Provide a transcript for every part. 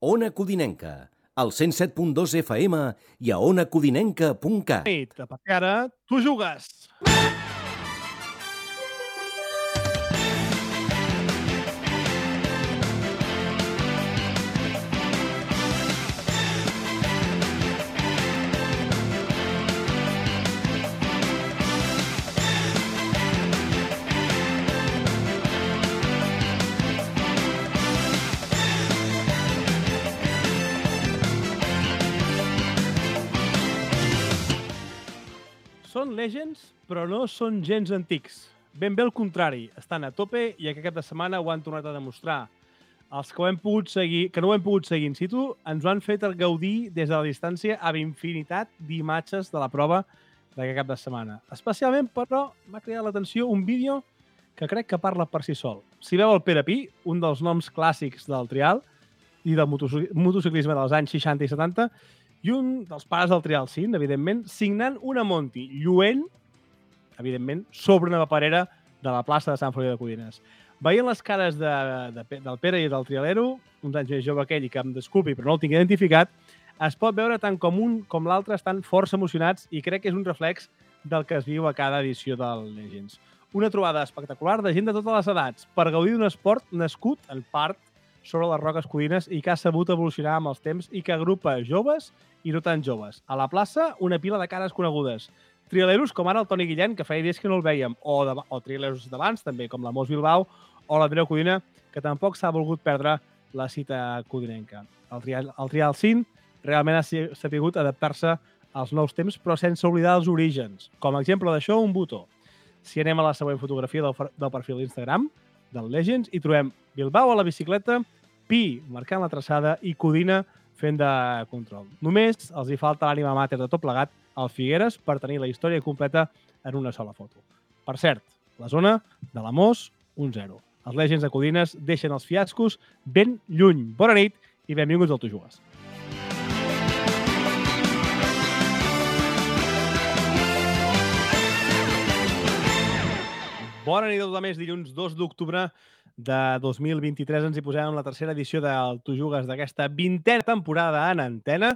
Ona Codinenca, al 107.2 FM i a onacodinenca.cat. Perquè ara tu jugues. Són legends, però no són gens antics. Ben bé al contrari, estan a tope i aquest cap de setmana ho han tornat a demostrar. Els que no ho hem pogut seguir in situ ens ho han fet gaudir des de la distància amb infinitat d'imatges de la prova d'aquest cap de setmana. Especialment, però, m'ha cridat l'atenció un vídeo que crec que parla per si sol. Si veu el Pere Pi, un dels noms clàssics del trial i del motociclisme dels anys 60 i 70, i un dels pares del trial cint, evidentment, signant una Monty lluent, evidentment, sobre una paperera de la plaça de Sant Feliu de Codines. Veient les cares del Pere i del trialero, uns anys més jove aquell i que em desculpi, però no el tinc identificat, es pot veure tant com un com l'altre estan força emocionats i crec que és un reflex del que es viu a cada edició del Legends. Una trobada espectacular de gent de totes les edats per gaudir d'un esport nascut, en part, sobre les roques codines i que ha sabut evolucionar amb els temps i que agrupa joves i no tan joves. A la plaça, una pila de cares conegudes. Trialeros com ara el Toni Guillén, que feia dies que no el veiem, o trialeros d'abans, també, com la Mos Bilbao o l'Andreu Codina, que tampoc s'ha volgut perdre la cita codinenca. El trial cint realment ha sabut adaptar-se als nous temps, però sense oblidar els orígens. Com a exemple d'això, un botó. Si anem a la següent fotografia del perfil d'Instagram, del Legends, hi trobem Bilbao a la bicicleta, Pi marcant la traçada i Codina fent de control. Només els hi falta l'ànima mater de tot plegat al Figueres per tenir la història completa en una sola foto. Per cert, la zona de la Mos, 1-0. Els Legends de Codines deixen els fiascos ben lluny. Bona nit i benvinguts al Tu Jugues. Bona nit a tothom, és dilluns 2 d'octubre de 2023. Ens hi posem amb la tercera edició del Tu Jugues d'aquesta 20a temporada en antena.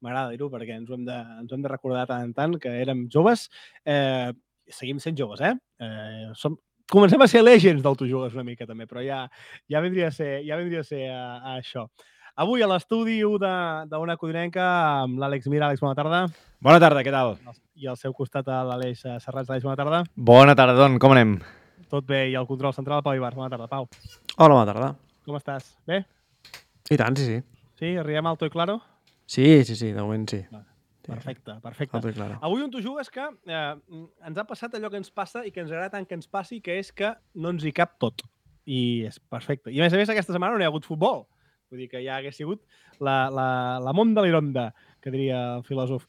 M'agrada dir-ho perquè ens ho hem de recordar tant en tant, que érem joves. Seguim sent joves, Comencem a ser legends del Tu Jugues una mica també, però ja vindria a ser això. Avui a l'estudi d'Ona Codinenca amb l'Àlex Mira. Àlex, bona tarda. Bona tarda, què tal? I al seu costat l'Aleix Serrats. Àlex, bona tarda. Bona tarda, Don, com anem? Tot bé, i el control central, Pau Ibars. Bona tarda, Pau. Hola, bona tarda. Com estàs? Bé? I tant, sí. Sí? Arribem alto i claro? Sí, de moment sí. Perfecte. Alto i claro. Avui un Tu Jugues que ens ha passat allò que ens passa i que ens agrada tant que ens passi, que és que no ens hi cap tot. I és perfecte. I a més, aquesta setmana no hi ha hagut futbol. Vull dir que ja hagués sigut la monda l'ironda, que diria el filòsof.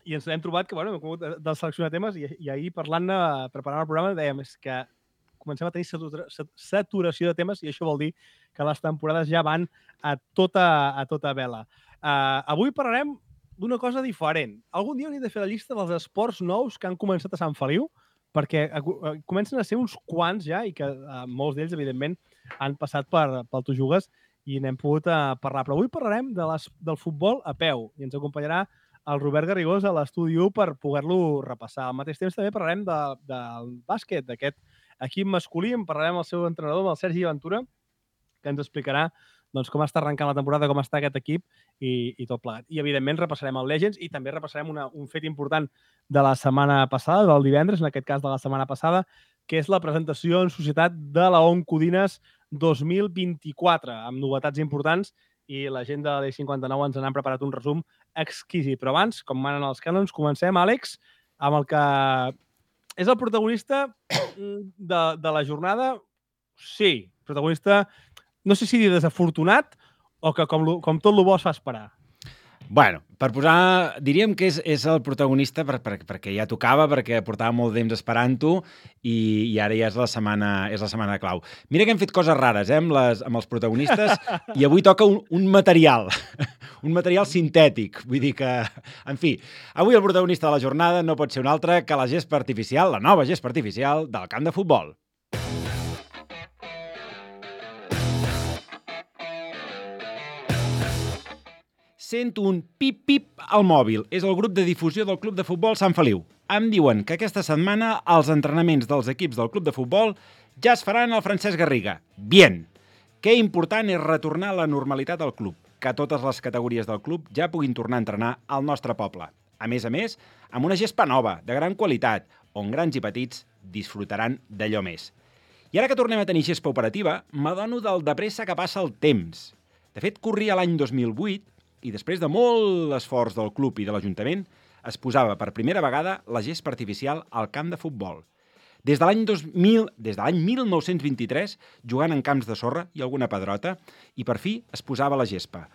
I ens hem trobat que, hem hagut de seleccionar temes i ahir preparant el programa, dèiem que comencem a tenir saturació de temes i això vol dir que les temporades ja van a tota vela. Avui parlarem d'una cosa diferent. Algun dia hauríem de fer la llista dels esports nous que han començat a Sant Feliu, perquè comencen a ser uns quants ja i que molts d'ells, evidentment, han passat pel Tu Jugues i n'hem pogut parlar. Però avui parlarem del futbol a peu i ens acompanyarà el Robert Garrigós a l'estudi 1 per poder-lo repassar. Al mateix temps també parlarem del bàsquet, d'aquest equip masculí. En parlarem amb el seu entrenador, amb el Sergi Ventura, que ens explicarà com està arrencant la temporada, com està aquest equip i tot plegat. I, evidentment, repassarem el Legends i també repassarem un fet important de la setmana passada, del divendres, en aquest cas de la setmana passada, que és la presentació en societat de la ON Codines 2024, amb novetats importants, i la gent de l'E59 ens n'han preparat un resum exquisit. Però abans, com manen els cànons, comencem, Àlex, amb el que és el protagonista de la jornada. Sí, protagonista, no sé si dir desafortunat o que com tot el bo es fa esperar. Bueno, per posar... Diríem que és el protagonista perquè ja tocava, perquè portava molt temps esperant-ho i ara ja és la setmana clau. Mira que hem fet coses rares amb els protagonistes i avui toca un material, un material sintètic. Vull dir que, en fi, avui el protagonista de la jornada no pot ser un altre que la gespa artificial, la nova gespa artificial del camp de futbol. Sento un pip-pip al mòbil. És el grup de difusió del Club de Futbol Sant Feliu. Em diuen que aquesta setmana els entrenaments dels equips del Club de Futbol ja es faran al Francesc Garriga. Bien! Que important és retornar a la normalitat al club, que totes les categories del club ja puguin tornar a entrenar al nostre poble. A més, amb una gespa nova, de gran qualitat, on grans i petits disfrutaran d'allò més. I ara que tornem a tenir gespa operativa, m'adono del de pressa que passa el temps. De fet, corria l'any 2008 i després de molt esforç del club i de l'Ajuntament es posava per primera vegada la gespa artificial al camp de futbol. Des de l'any 1923, jugant en camps de sorra i alguna pedrota, i per fi es posava la gespa.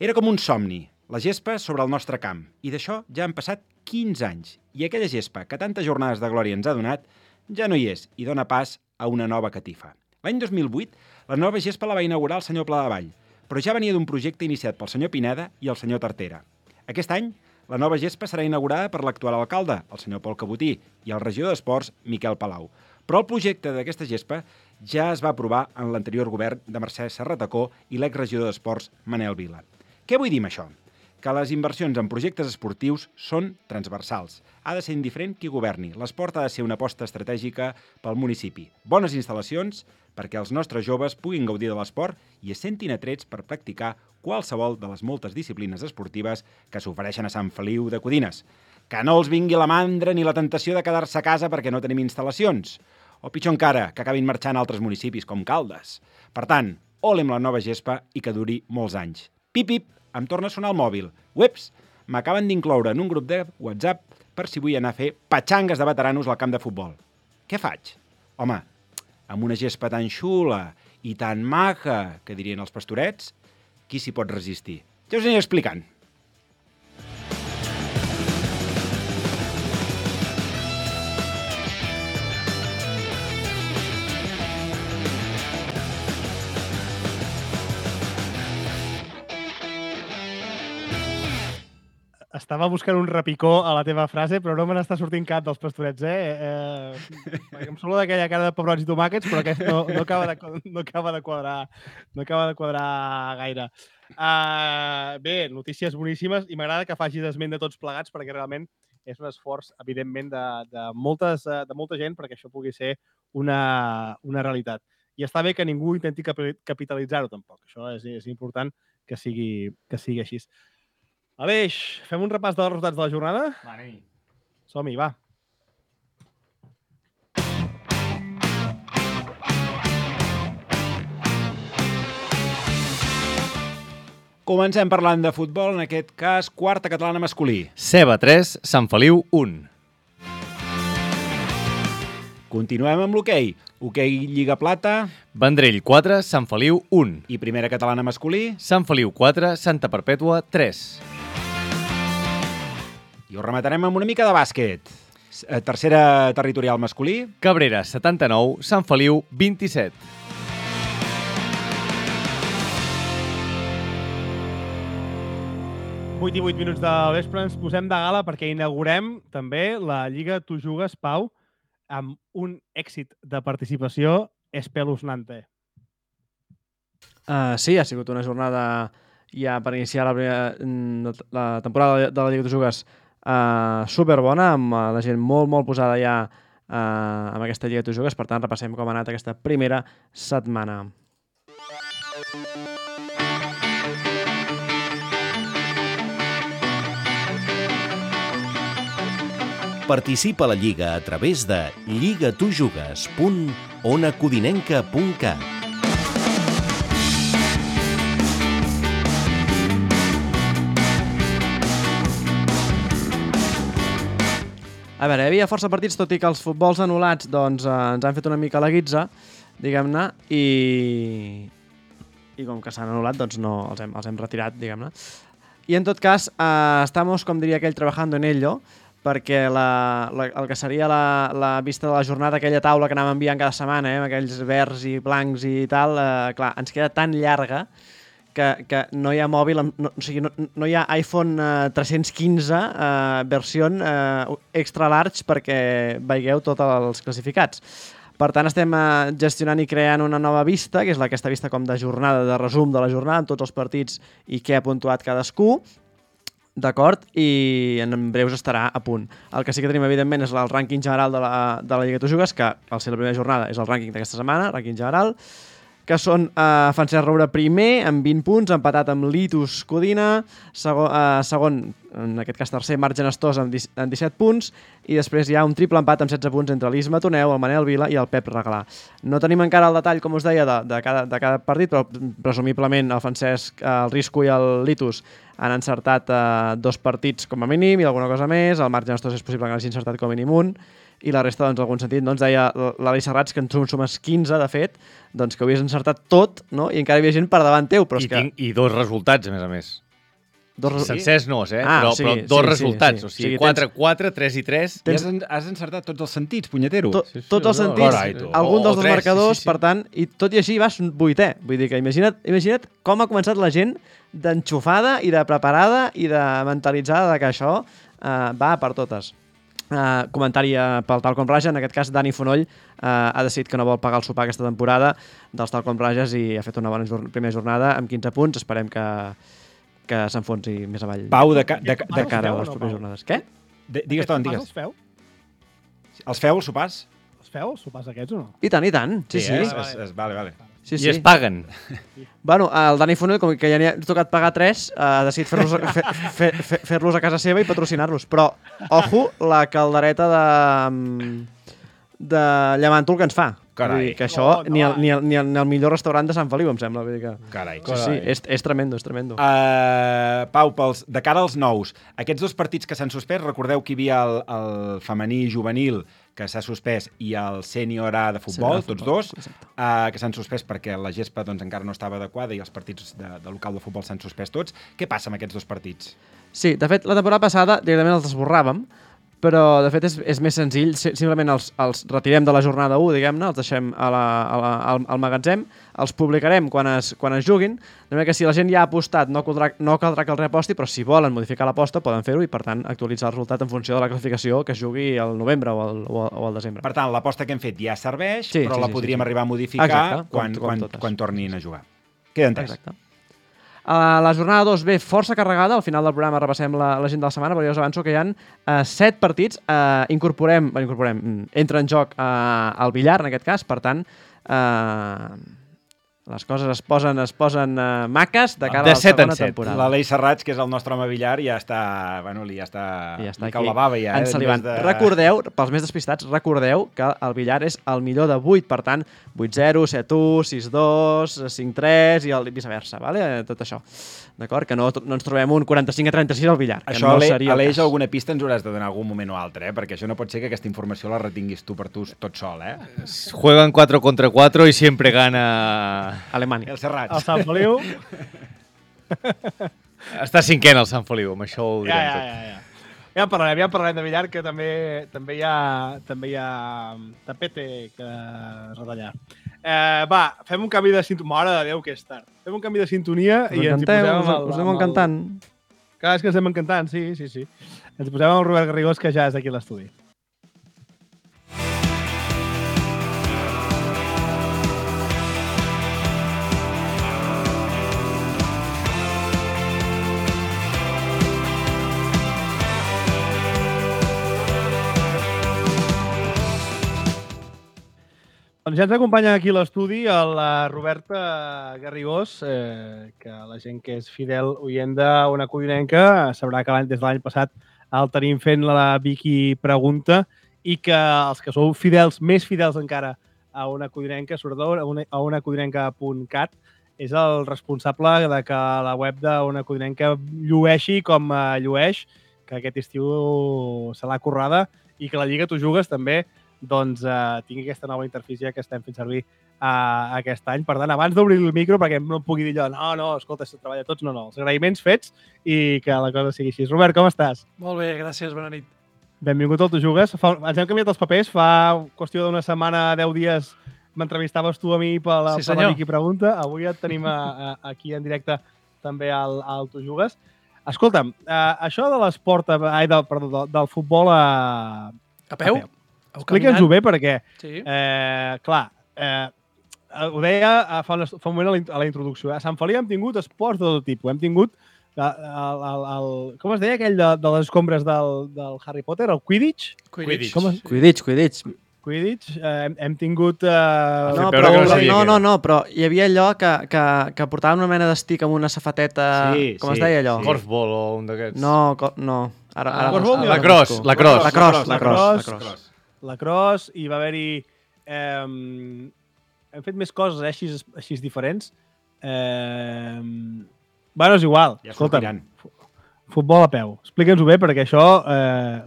Era com un somni, la gespa sobre el nostre camp, i d'això ja han passat 15 anys, i aquella gespa que tantes jornades de glòria ens ha donat ja no hi és i dona pas a una nova catifa. L'any 2008, la nova gespa la va inaugurar el senyor Pladevall, però ja venia d'un projecte iniciat pel senyor Pineda i el senyor Tartera. Aquest any, la nova gespa serà inaugurada per l'actual alcalde, el senyor Pol Cabotí, i el regidor d'Esports, Miquel Palau. Però el projecte d'aquesta gespa ja es va aprovar en l'anterior govern de Mercè Serratacó i l'exregidor d'Esports, Manel Vila. Què vull dir amb això? Que les inversions en projectes esportius són transversals. Ha de ser indiferent qui governi. L'esport ha de ser una aposta estratègica pel municipi. Bones instal·lacions perquè els nostres joves puguin gaudir de l'esport i es sentin atrets per practicar qualsevol de les moltes disciplines esportives que s'ofereixen a Sant Feliu de Codines. Que no els vingui la mandra ni la tentació de quedar-se a casa perquè no tenim instal·lacions. O pitjor encara, que acabin marxant a altres municipis com Caldes. Per tant, ole amb la nova gespa i que duri molts anys. Pip, pip, em torna a sonar el mòbil. Ueps, m'acaben d'incloure en un grup de WhatsApp per si vull anar a fer patxangues de veteranos al camp de futbol. Què faig? Home, amb una gespa tan xula i tan maca, que dirien els pastorets, qui s'hi pot resistir? Ja us aniré explicant. Estava buscant un repicó a la teva frase, però no me n'està sortint cap dels pastorets, perquè em sembla d'aquella cara de pebrots i tomàquets, però aquest no acaba de quadrar gaire. Bé, notícies boníssimes, i m'agrada que facis esment de tots plegats, perquè realment és un esforç, evidentment, de molta gent perquè això pugui ser una realitat. I està bé que ningú intenti capitalitzar-ho, tampoc. Això és important que sigui així. Aleix, fem un repàs dels resultats de la jornada? Va, anem-hi. Som-hi, va. Comencem parlant de futbol, en aquest cas, quarta catalana masculí. Ceba 3, Sant Feliu 1. Continuem amb l'hoquei. Hoquei Lliga Plata. Vendrell 4, Sant Feliu 1. I primera catalana masculí. Sant Feliu 4, Santa Perpètua 3. I ho rematarem amb una mica de bàsquet. Tercera territorial masculí. Cabrera 79, Sant Feliu 27. Vuit i 8 minuts del vespre ens posem de gala perquè inaugurem també la Lliga Tu Jugues, Pau, amb un èxit de participació espeluznante. Sí, ha sigut una jornada ja per iniciar la temporada de la Lliga Tu Jugues superbona, amb la gent molt posada ja amb aquesta Lliga Tu Jugues. Per tant, repassem com ha anat aquesta primera setmana. Participa a la Lliga a través de lligatujugues.onacodinenca.cat. A veure, hi havia força partits, tot i que els futbols anul·lats doncs, ens han fet una mica la guitza, diguem-ne, i com que s'han anul·lat, doncs no, els hem retirat, diguem-ne. I en tot cas, estamos, com diria aquell, trabajando en ello, perquè el que seria la vista de la jornada, aquella taula que anàvem enviant cada setmana, amb aquells verds i blancs i tal, clar, ens queda tan llarga que no hi ha mòbil, no hi ha iPhone 315 versió extra large perquè veieu tots els classificats. Per tant, estem gestionant i creant una nova vista, que és aquesta vista com de jornada, de resum de la jornada, amb tots els partits i què ha puntuat cadascú, d'acord? I en breus estarà a punt. El que sí que tenim, evidentment, és el rànquing general de la Lliga Tu Jugues, que al ser la primera jornada és el rànquing d'aquesta setmana, rànquing general, que són Francesc Roure primer, amb 20 punts, empatat amb Litus Codina, segon, en aquest cas tercer, Marc Genestós, amb 17 punts, i després hi ha un triple empat amb 16 punts entre l'Isma Toneu, el Manel Vila i el Pep Reglà. No tenim encara el detall, com us deia, de cada partit, però presumiblement el Francesc, el Risco i el Litus han encertat 2 partits com a mínim i alguna cosa més, el Marc Genestós és possible que hagi encertat com a mínim un, i la resta, doncs, en algun sentit, doncs, deia l'Ali Serrats, que en sumes 15, de fet, doncs, que ho havies encertat tot, no? I encara hi havia gent per davant teu, però és que... I 2 resultats, a més. Sencers no, però 2 resultats. O sigui, 4-4, 3-3... Has encertat tots els sentits, punyetero. Tots els sentits, algun dels dos marcadors, per tant, i tot i així vas 8è. Vull dir que imagina't com ha començat la gent d'enxufada i de preparada i de mentalitzada de que això va per totes. Comentari pel Talcon Raja, en aquest cas Dani Fonoll ha decidit que no vol pagar el sopar aquesta temporada dels Talcon Rajas i ha fet una bona primera jornada amb 15 punts, esperem que s'enfonsi més avall. Pau, de cara a les properes jornades. Què? Digues, digues. Els feu? Els feu, els sopars? Els feu, els sopars aquests o no? I tant. Sí. Vale. Sí. I es paguen. Bueno, el Dani Fonoll, com que ja n'hi ha tocat pagar 3, ha decidit fer-los a casa seva i patrocinar-los. Però, ojo, la caldereta de llamàntol que ens fa. Carai. Vull dir que això ni el millor restaurant de Sant Feliu, em sembla. Vull dir que... Carai. Sí, és tremendo, és tremendo. Pau, de cara als nous, aquests 2 partits que s'han suspès, recordeu que hi havia el femení i juvenil que s'ha suspès i el sènior A de futbol, tots dos, que s'han suspès perquè la gespa doncs, encara no estava adequada i els partits de local de futbol s'han suspès tots. Què passa amb aquests 2 partits? Sí, de fet, la temporada passada directament els esborràvem, però de fet és més senzill, simplement els retirem de la jornada 1, diguem-ne, els deixem al magatzem, els publicarem quan es juguin, de manera que si la gent ja ha apostat no caldrà que el reaposti, però si volen modificar l'aposta poden fer-ho i per tant actualitzar el resultat en funció de la classificació que es jugui al novembre o al desembre. Per tant, l'aposta que hem fet ja serveix, però la podríem arribar a modificar quan tornin a jugar. Queda entès. Exacte. La jornada 2 ve força carregada, al final del programa repassem l'agenda de la setmana, però ja us avanço que hi ha 7 partits, entra en joc el billar, en aquest cas, per tant, les coses es posen maques de cara a la segona temporada. L'Alei Serrats, que és el nostre home billar, ja està cau la bava ja. Ensalivant. Recordeu, pels més despistats, recordeu que el billar és el millor de 8, per tant, 8-0, 7-1, 6-2, 5-3 i viceversa, vale? Tot això. D'acord? Que no ens trobem un 45-36 al billar. Això, Aleix, alguna pista ens hauràs de donar algun moment o altre, perquè això no pot ser que aquesta informació la retinguis tu per tu tot sol, Juegan 4 contra 4 y siempre gana... Alemanya. El Serrats. El Sant Feliu. Està cinquè el Sant Feliu, amb això ho direm tot. Ja en parlarem de billar, que també hi ha tapete que retallar. Va, fem un canvi de sintonia. Mare de Déu, que és tard. Fem un canvi de sintonia i ens hi posem... Us anem encantant. Clar, és que ens anem encantant, sí. Ens posem amb el Robert Garrigós, que ja és aquí a l'estudi. Doncs ja ens acompanya aquí a l'estudi la Roberta Garrigós, que la gent que és fidel oient d'Ona Codinenca sabrà que des de l'any passat el tenim fent la Vicky Pregunta i que els que sou fidels, més fidels encara a Ona Codinenca, sobretot a onacodinenca.cat, és el responsable de que la web d'Ona Codinenca llueixi com llueix, que aquest estiu se l'ha currada i que la Lliga Tu Jugues també doncs tingui aquesta nova interfície que estem fent servir aquest any. Per tant, abans d'obrir el micro, perquè no em pugui dir allò, no, escolta, se treballa tots, no, els agraïments fets i que la cosa sigui així. Robert, com estàs? Molt bé, gràcies, bona nit. Benvingut al Tu Jugues. Ens hem canviat els papers, fa qüestió d'una setmana, 10 dies, m'entrevistaves tu a mi per la Vicky Pregunta. Avui et tenim aquí en directe també al Tu Jugues. Escolta'm, això de l'esport, del futbol a peu? Explica'ns-ho bé perquè, Sí. clar, ho deia fa un moment a la introducció. A Sant Feliu hem tingut esports de tot tipus. Hem tingut com es deia aquell de les escombres del Harry Potter? El Quidditch? Quidditch. Hem tingut... però hi havia allò que portaven una mena d'estic amb una safateta... Com es deia allò? Korfball o un d'aquests. No. La cross, i va haver-hi... Hem fet més coses així diferents. Bueno, és igual. Escolta'm, futbol a peu. Explica'ns-ho bé, perquè això,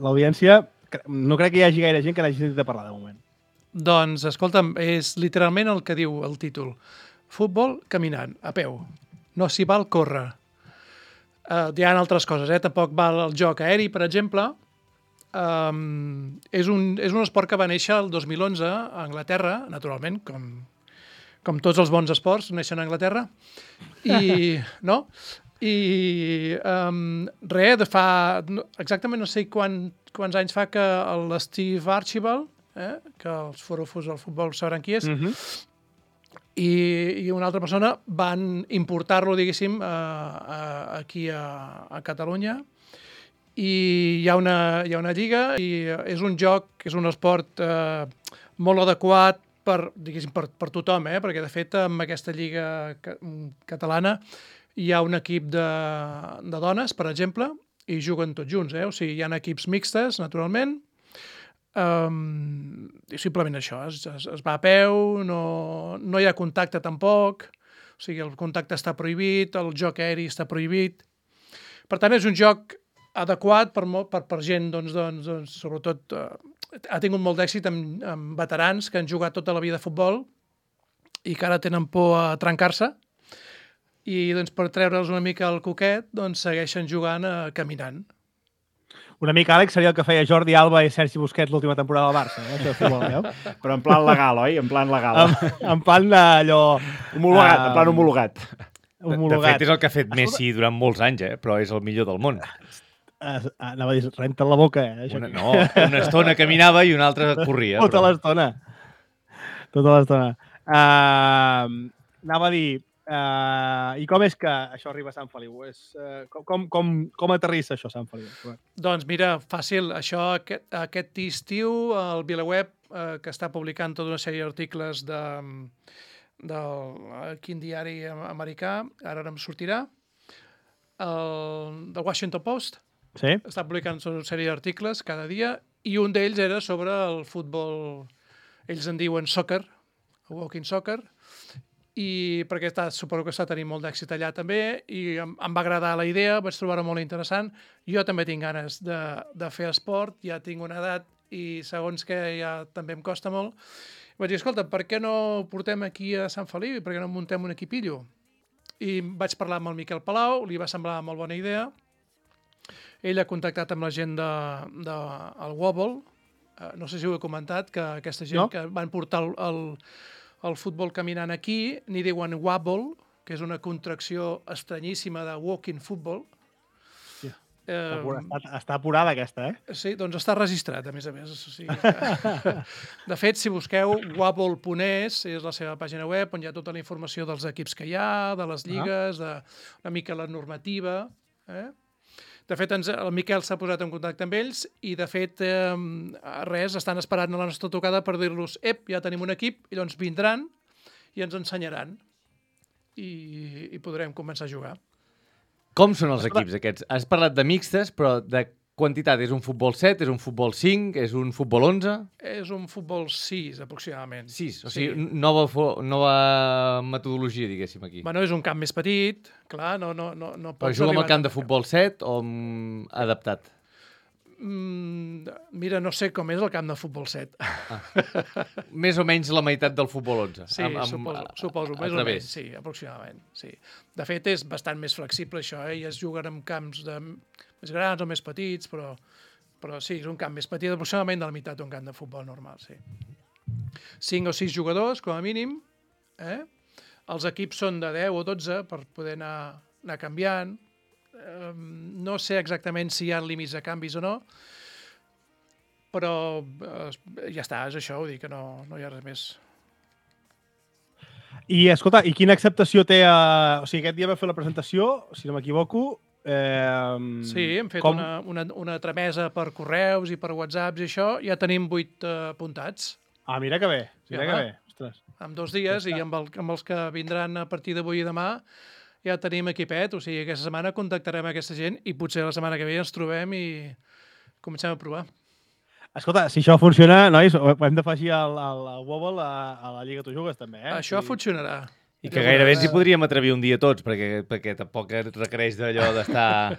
l'audiència, no crec que hi hagi gaire gent que n'hagi sentit a parlar de moment. Doncs, escolta'm, és literalment el que diu el títol. Futbol caminant, a peu. No s'hi val córrer. Hi ha altres coses, tampoc val el joc aeri, per exemple. És un esport que va néixer el 2011 a Anglaterra, naturalment, com tots els bons esports, neixen a Anglaterra. I de fa... Exactament no sé quants anys fa que l'Steve Archibald, que els forofos del futbol sabran qui és, i una altra persona van importar-lo, diguéssim, aquí a Catalunya. I hi ha una lliga i és un joc, és un esport molt adequat per tothom, perquè de fet amb aquesta lliga catalana hi ha un equip de dones, per exemple, i juguen tots junts, o sigui, hi ha equips mixtes, naturalment, i simplement això, es va a peu, no hi ha contacte tampoc, o sigui, el contacte està prohibit, el joc aeri està prohibit. Per tant, és un joc adequat per gent, doncs, sobretot, ha tingut molt d'èxit amb veterans que han jugat tota la vida a futbol i que ara tenen por a trencar-se i doncs, per treure'ls una mica el coquet doncs, segueixen jugant caminant. Una mica, Àlex, seria el que feia Jordi Alba i Sergi Busquets l'última temporada del Barça, això de futbol, veu? Però en plan legal, oi? En plan legal. En plan d'allò... Homologat, en plan homologat. De fet, és el que ha fet Messi durant molts anys, però és el millor del món. Anava a dir, renta't la boca, una estona caminava i una altra corria. Tota l'estona. Anava a dir, i com és que això arriba a Sant Feliu? Com aterrissa això a Sant Feliu? Doncs mira, fàcil. Això aquest estiu el VilaWeb, que està publicant tota una sèrie d'articles del quin diari americà, ara em sortirà, del Washington Post. Sí. Està publicant una sèrie d'articles cada dia i un d'ells era sobre el futbol, ells en diuen soccer, walking soccer, i perquè suposo que està tenint molt d'èxit allà també i em va agradar la idea, vaig trobar-ho molt interessant. Jo també tinc ganes de fer esport, ja tinc una edat i segons que ja també em costa molt. Vaig dir, escolta, per què no portem aquí a Sant Feliu i per què no muntem un equipillo? I vaig parlar amb el Miquel Palau, li va semblar molt bona idea. Ell ha contactat amb la gent del Wobble, no sé si ho he comentat, que aquesta gent que van portar el futbol caminant aquí, n'hi diuen Wobble, que és una contracció estranyíssima de walking football. Sí. Està apurada aquesta, Sí, doncs està registrat, a més. O sigui, de fet, si busqueu wobble.es, és la seva pàgina web, on hi ha tota la informació dels equips que hi ha, de les lligues, una mica la normativa, De fet, el Miquel s'ha posat en contacte amb ells i, de fet, estan esperant la nostra tocada per dir-los ja tenim un equip, i llavors vindran i ens ensenyaran i podrem començar a jugar. Com són els equips aquests? Has parlat de mixtes, però de quantitat? És un futbol 7? És un futbol 5? És un futbol 11? És un futbol 6, aproximadament. 6? O sigui, nova metodologia, diguéssim, aquí. Bueno, és un camp més petit, clar, no però juga amb el camp de futbol 7 o adaptat? Mira, no sé com és el camp de futbol 7. Més o menys la meitat del futbol 11. Sí, suposo, més o menys, sí, aproximadament. Sí. De fet, és bastant més flexible això, i es juguen en camps més grans o més petits, però sí, és un camp més petit, aproximadament de la meitat d'un camp de futbol normal, sí. 5 o 6 jugadors, com a mínim. Els equips són de 10 o 12 per poder anar canviant. No sé exactament si hi ha límits de canvis o no. però ja està, és això, vull dir que no hi ha res més. I, escolta, i quina acceptació té... O sigui, aquest dia va fer la presentació, si no m'equivoco. Sí, hem fet una tramesa per correus i per whatsapps i això. Ja tenim 8 apuntats. Ah, mira que bé. Mira que bé. Ostres. En 2 dies i amb els que vindran a partir d'avui i demà ja tenim equipet. O sigui, aquesta setmana contactarem aquesta gent i potser la setmana que ve ens trobem i comencem a provar. Escolta, si això funciona, nois, ho hem d'afegir al Wobble a la Lliga Tu Jugues, també, eh? Això funcionarà. I que gairebé ens hi podríem atrevir un dia tots, perquè tampoc requereix d'allò d'estar...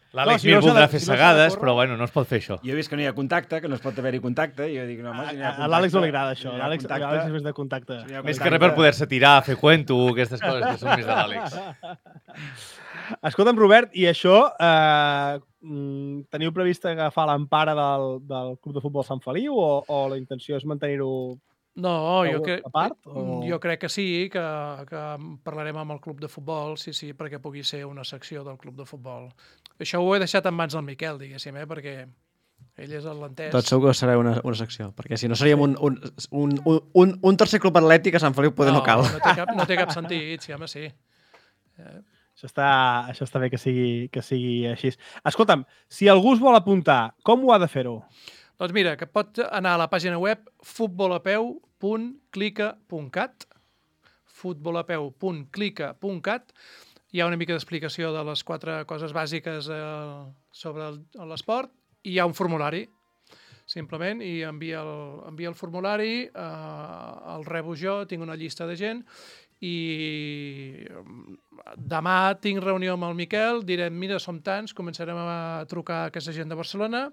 L'Àlex Mir voldrà fer segades, però bueno, no es pot fer això. Jo he vist que no hi ha contacte, que no es pot haver-hi contacte, i jo dic, no, home, si no hi ha contacte... A l'Àlex no li agrada això, l'Àlex és més de contacte. Més que res per poder-se tirar, fer cuento, aquestes coses que són més de l'Àlex. Escolta'm, Robert, i això, teniu previst agafar l'empara del Club de Futbol Sant Feliu o la intenció és mantenir-ho No, a part? Jo crec que sí, que parlarem amb el club de futbol, sí, perquè pugui ser una secció del club de futbol. Això ho he deixat en mans del Miquel, diguéssim, perquè ell és l'entès. Tot segur que serà una secció, perquè si no seríem un tercer club atlètic a Sant Feliu poder no cal. No té cap sentit, sí, home, sí. Això està bé que sigui així. Escolta'm, si algú es vol apuntar, com ho ha de fer-ho? Doncs mira, que pot anar a la pàgina web futbolapeu.clica.cat futbolapeu.clica.cat. Hi ha una mica d'explicació de les 4 coses bàsiques sobre l'esport i hi ha un formulari, simplement, i envia el formulari, el rebo jo, tinc una llista de gent i demà tinc reunió amb el Miquel, direm, mira, som tants, començarem a trucar a aquesta gent de Barcelona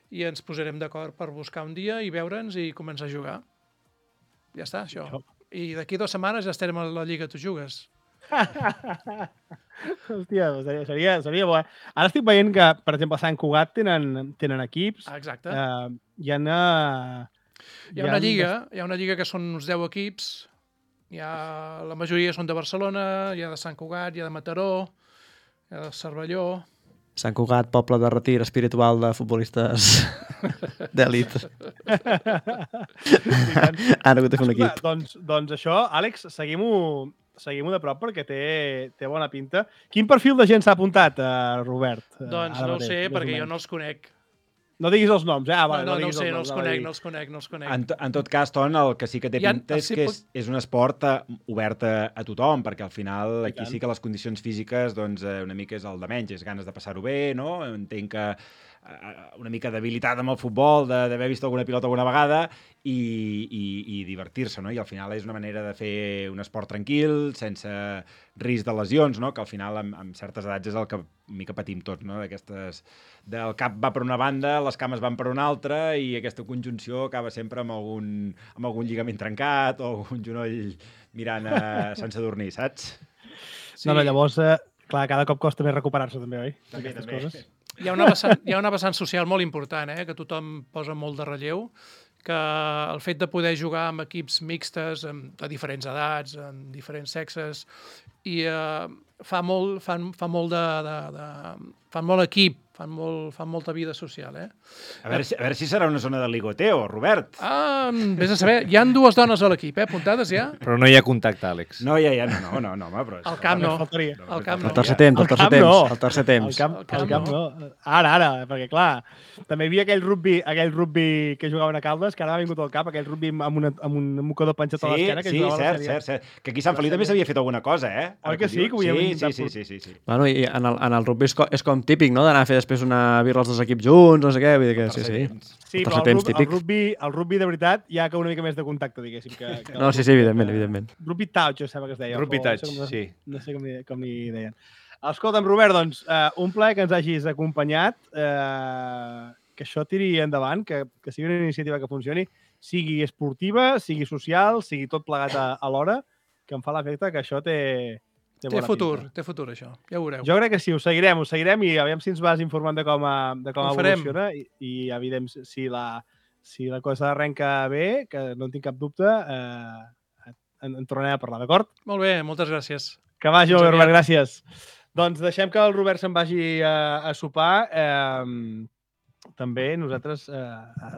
i ens posarem d'acord per buscar un dia i veure'ns i començar a jugar. Ja està, això. I d'aquí 2 setmanes ja estarem a la Lliga Tu Jugues. Hòstia, seria bo, eh? Ara estic veient que, per exemple, a Sant Cugat tenen equips. Exacte. Hi ha una lliga que són uns 10 equips. La majoria són de Barcelona, hi ha de Sant Cugat, hi ha de Mataró, hi ha de Cervelló... Sant Cugat, poble de retir espiritual de futbolistes d'èlit. Han hagut de fer un equip. Doncs això, Àlex, seguim-ho de prop perquè té bona pinta. Quin perfil de gent s'ha apuntat, Robert? Doncs no ho sé, perquè jo no els conec. No diguis els noms, eh? No els conec. En tot cas, Ton, el que sí que té pinta és que és un esport obert a tothom, perquè al final aquí sí que les condicions físiques doncs, una mica és el de menys, és ganes de passar-ho bé, no? Entenc que una mica d'habilitat amb el futbol, d'haver vist alguna pilota alguna vegada i divertir-se, no? I al final és una manera de fer un esport tranquil, sense risc de lesions, no? Que al final amb certes edats és el que mica patim tots, no? Del cap va per una banda, les cames van per una altra i aquesta conjunció acaba sempre amb algun lligament trencat o algun genoll mirant sense dormir, saps? Sí. No, llavors, clar, cada cop costa més recuperar-se també, oi? Aquestes coses. Hi ha una vessant social molt important, que tothom posa molt de relleu, que el fet de poder jugar amb equips mixtes, de diferents edats, amb diferents sexes, i fan molt equip, fan molta vida social, A veure si serà una zona de ligoteo, Robert. Vés a saber, hi ha 2 dones a l'equip, apuntades ja? Però no hi ha contacte, Àlex. No, ja, no, home, però... Al camp no. El tercer temps. Al camp no. Ara, perquè clar, també hi havia aquell rugby que jugaven a Caldes, que ara ha vingut al cap, aquell rugby amb un mocador penjat a l'esquena. Sí, cert. Que aquí a Sant Feliu també s'havia fet alguna cosa, eh? Oi que sí? Sí. Bueno, i en el rugby és com típic, no?, d'anar a fer després una birra els 2 equips junts, no sé què, vull dir que sí. Sí, però el rugby de veritat hi ha que una mica més de contacte, diguéssim. No, sí, evidentment. Rugby touch, sembla que es deia. Rugby touch, sí. No sé com li deien. Escolta'm, Robert, doncs, un plaer que ens hagis acompanyat, que això tiri endavant, que sigui una iniciativa que funcioni, sigui esportiva, sigui social, sigui tot plegat alhora, que em fa l'efecte que això té futur, això, ja ho veureu. Jo crec que sí, ho seguirem i aviam si ens vas informant de com evoluciona i evident si la cosa arrenca bé, que no en tinc cap dubte, en tornarem a parlar, d'acord? Molt bé, moltes gràcies. Que vagi molt bé, Robert, gràcies. Doncs deixem que el Robert se'n vagi a sopar també nosaltres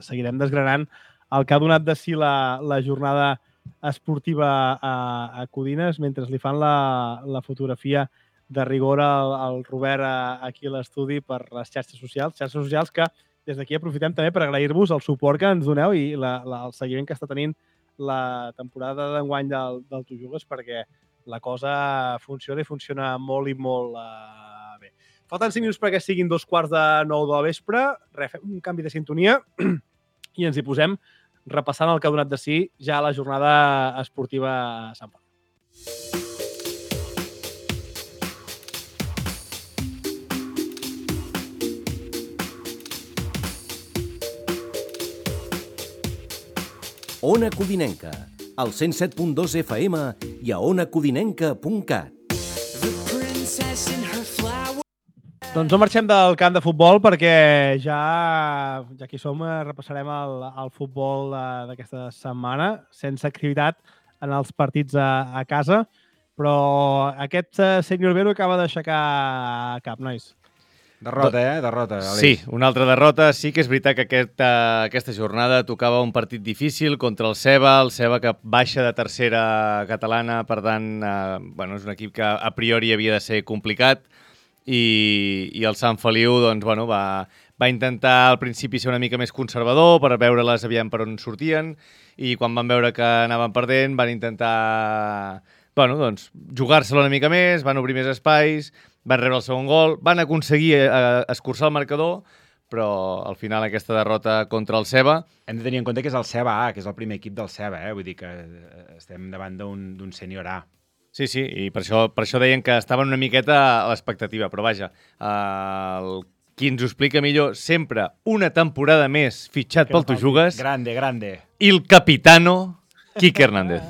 seguirem desgranant el que ha donat de si la jornada esportiva a Codines, mentre li fan la fotografia de rigor al Robert aquí a l'estudi per les xarxes socials que des d'aquí aprofitem també per agrair-vos el suport que ens doneu i el seguiment que està tenint la temporada d'enguany del Tu Jugues, perquè la cosa funciona i funciona molt i molt bé. Falten 5 minuts perquè siguin 8:45 de la vespre. Fem un canvi de sintonia i ens hi posem repassant el que ha donat de si ja la jornada esportiva a Sant Pau. Ona Codinenca, al 107.2 FM i a onacodinenca.cat. Doncs no marxem del camp de futbol perquè ja que hi som repassarem el futbol d'aquesta setmana, sense activitat en els partits a casa, però aquest senyor Vero acaba d'aixecar cap, nois. Derrota, Derrota, Aleix. Sí, una altra derrota. Sí que és veritat que aquesta jornada tocava un partit difícil contra el Ceba que baixa de tercera catalana, per tant, és un equip que a priori havia de ser complicat i el Sant Feliu doncs, va intentar al principi ser una mica més conservador per veure-les aviam per on sortien i quan van veure que anaven perdent van intentar jugar-se-la una mica més, van obrir més espais, van rebre el segon gol, van aconseguir escurçar el marcador, però al final aquesta derrota contra el Ceba... Hem de tenir en compte que és el Ceba A, que és el primer equip del Ceba, vull dir que estem davant d'un sènior A. Sí, i per això deien que estaven una miqueta a l'expectativa, però vaja, qui ens ho explica millor, sempre una temporada més fitxat pel Tu Jugues... Grande. Il capitano Quique Hernández.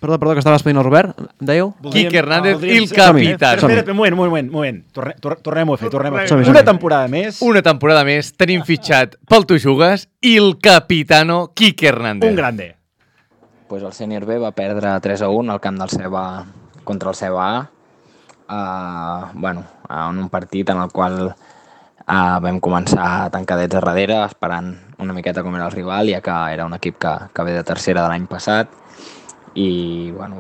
Perdó, que estava expedint el Robert. Em dèieu? Quique Hernández, il capitano. Espera, un moment. Tornem-ho a fer. Som-hi. Una temporada més. Una temporada més tenim fitxat pel Tu Jugues il capitano Quique Hernández. Un grande. Pues el sènior B va perdre 3-1 al camp del Ceba contra el Ceba A. En un partit en el qual vam començar tancadets a darrere, esperant una miqueta com era el rival, ja que era un equip que ve de tercera de l'any passat. I vam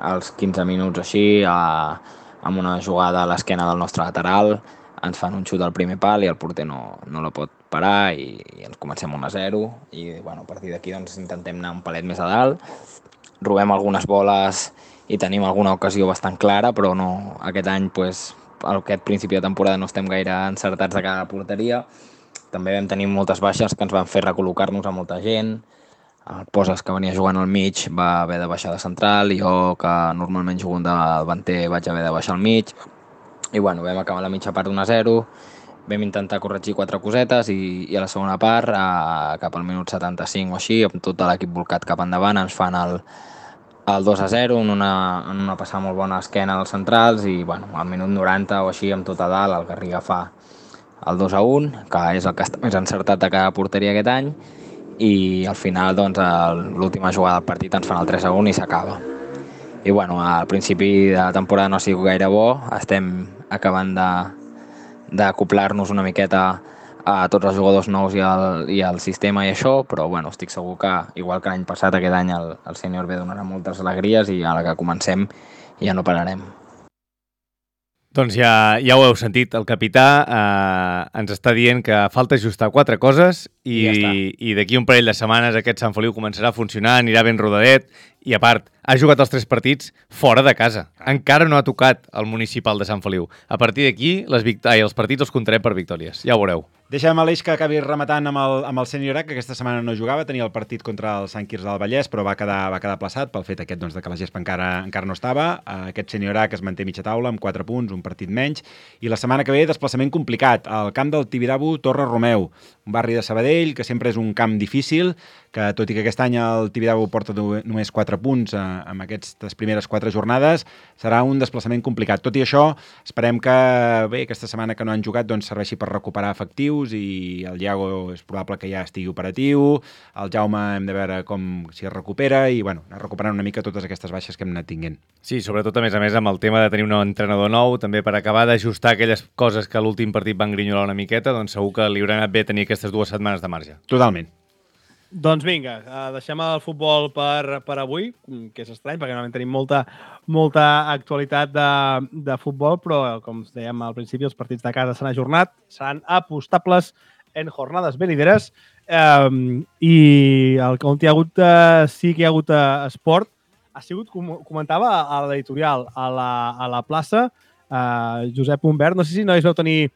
als 15 minuts així, amb una jugada a l'esquena del nostre lateral, ens fan un xut al primer pal i el porter no la pot parar i ens comencem 1-0 i a partir d'aquí intentem anar un palet més a dalt, robem algunes boles i tenim alguna ocasió bastant clara, però no, aquest any aquest principi de temporada no estem gaire encertats de cada porteria. També vam tenir moltes baixes que ens van fer recol·locar-nos a molta gent. El Poses, que venia jugant al mig, va haver de baixar de central, i jo, que normalment jugo de davanter, vaig haver de baixar al mig. I vam acabar la mitja part 1-0, vam intentar corregir 4 cosetes i a la segona part, cap al minut 75 o així, amb tot l'equip volcat cap endavant, ens fan el 2-0 en una passada molt bona a esquena dels centrals i al minut 90 o així, amb tot a dalt, el Garriga fa el 2-1, que és el que està més encertat de cada porteria aquest any, i al final l'última jugada del partit ens fan el 3-1 i s'acaba. I al principi de la temporada no ha sigut gaire bo, estem acabant d'acoplar-nos una miqueta a tots els jugadors nous i al sistema i això, però estic segur que, igual que l'any passat, aquest any el sènior B donarà moltes alegries i a la que comencem ja no pararem. Doncs ja ho heu sentit, el capità ens està dient que falta ajustar 4 coses i d'aquí un parell de setmanes aquest Sant Feliu començarà a funcionar, anirà ben rodadet i a part, ha jugat els 3 partits fora de casa. Encara no ha tocat el municipal de Sant Feliu. A partir d'aquí els partits els comptarem per victòries, ja ho veureu. Deixem Aleix que acabi rematant amb el sènior A, que aquesta setmana no jugava, tenia el partit contra el Sant Quirze del Vallès, però va quedar aplaçat pel fet aquest de que la gespa encara no estava. Aquest sènior A que es manté mitja taula amb 4 punts, un partit menys, i la setmana que ve desplaçament complicat. Al camp del Tibidabo Torre Romeu, un barri de Sabadell, que sempre és un camp difícil, que tot i que aquest any el Tibidabo porta només 4 punts amb aquestes primeres 4 jornades, serà un desplaçament complicat. Tot i això, esperem que aquesta setmana que no han jugat doncs, serveixi per recuperar efectius i el Iago és probable que ja estigui operatiu, el Jaume hem de veure si es recupera i anar recuperant una mica totes aquestes baixes que hem anat tinguent. Sí, sobretot a més amb el tema de tenir un entrenador nou, també per acabar d'ajustar aquelles coses que a l'últim partit van grinyolar una miqueta, doncs segur que li haurà anat bé tenir aquestes 2 setmanes de marge. Totalment. Doncs vinga, deixem el futbol per avui, que és estrany, perquè normalment tenim molta actualitat de futbol, però, com dèiem al principi, els partits de casa s'han ajornat, seran apostables en jornades venideres, i on sí que hi ha hagut esport, ha sigut, comentava a l'editorial, a la plaça, Josep Humbert, no sé si nois vau tenir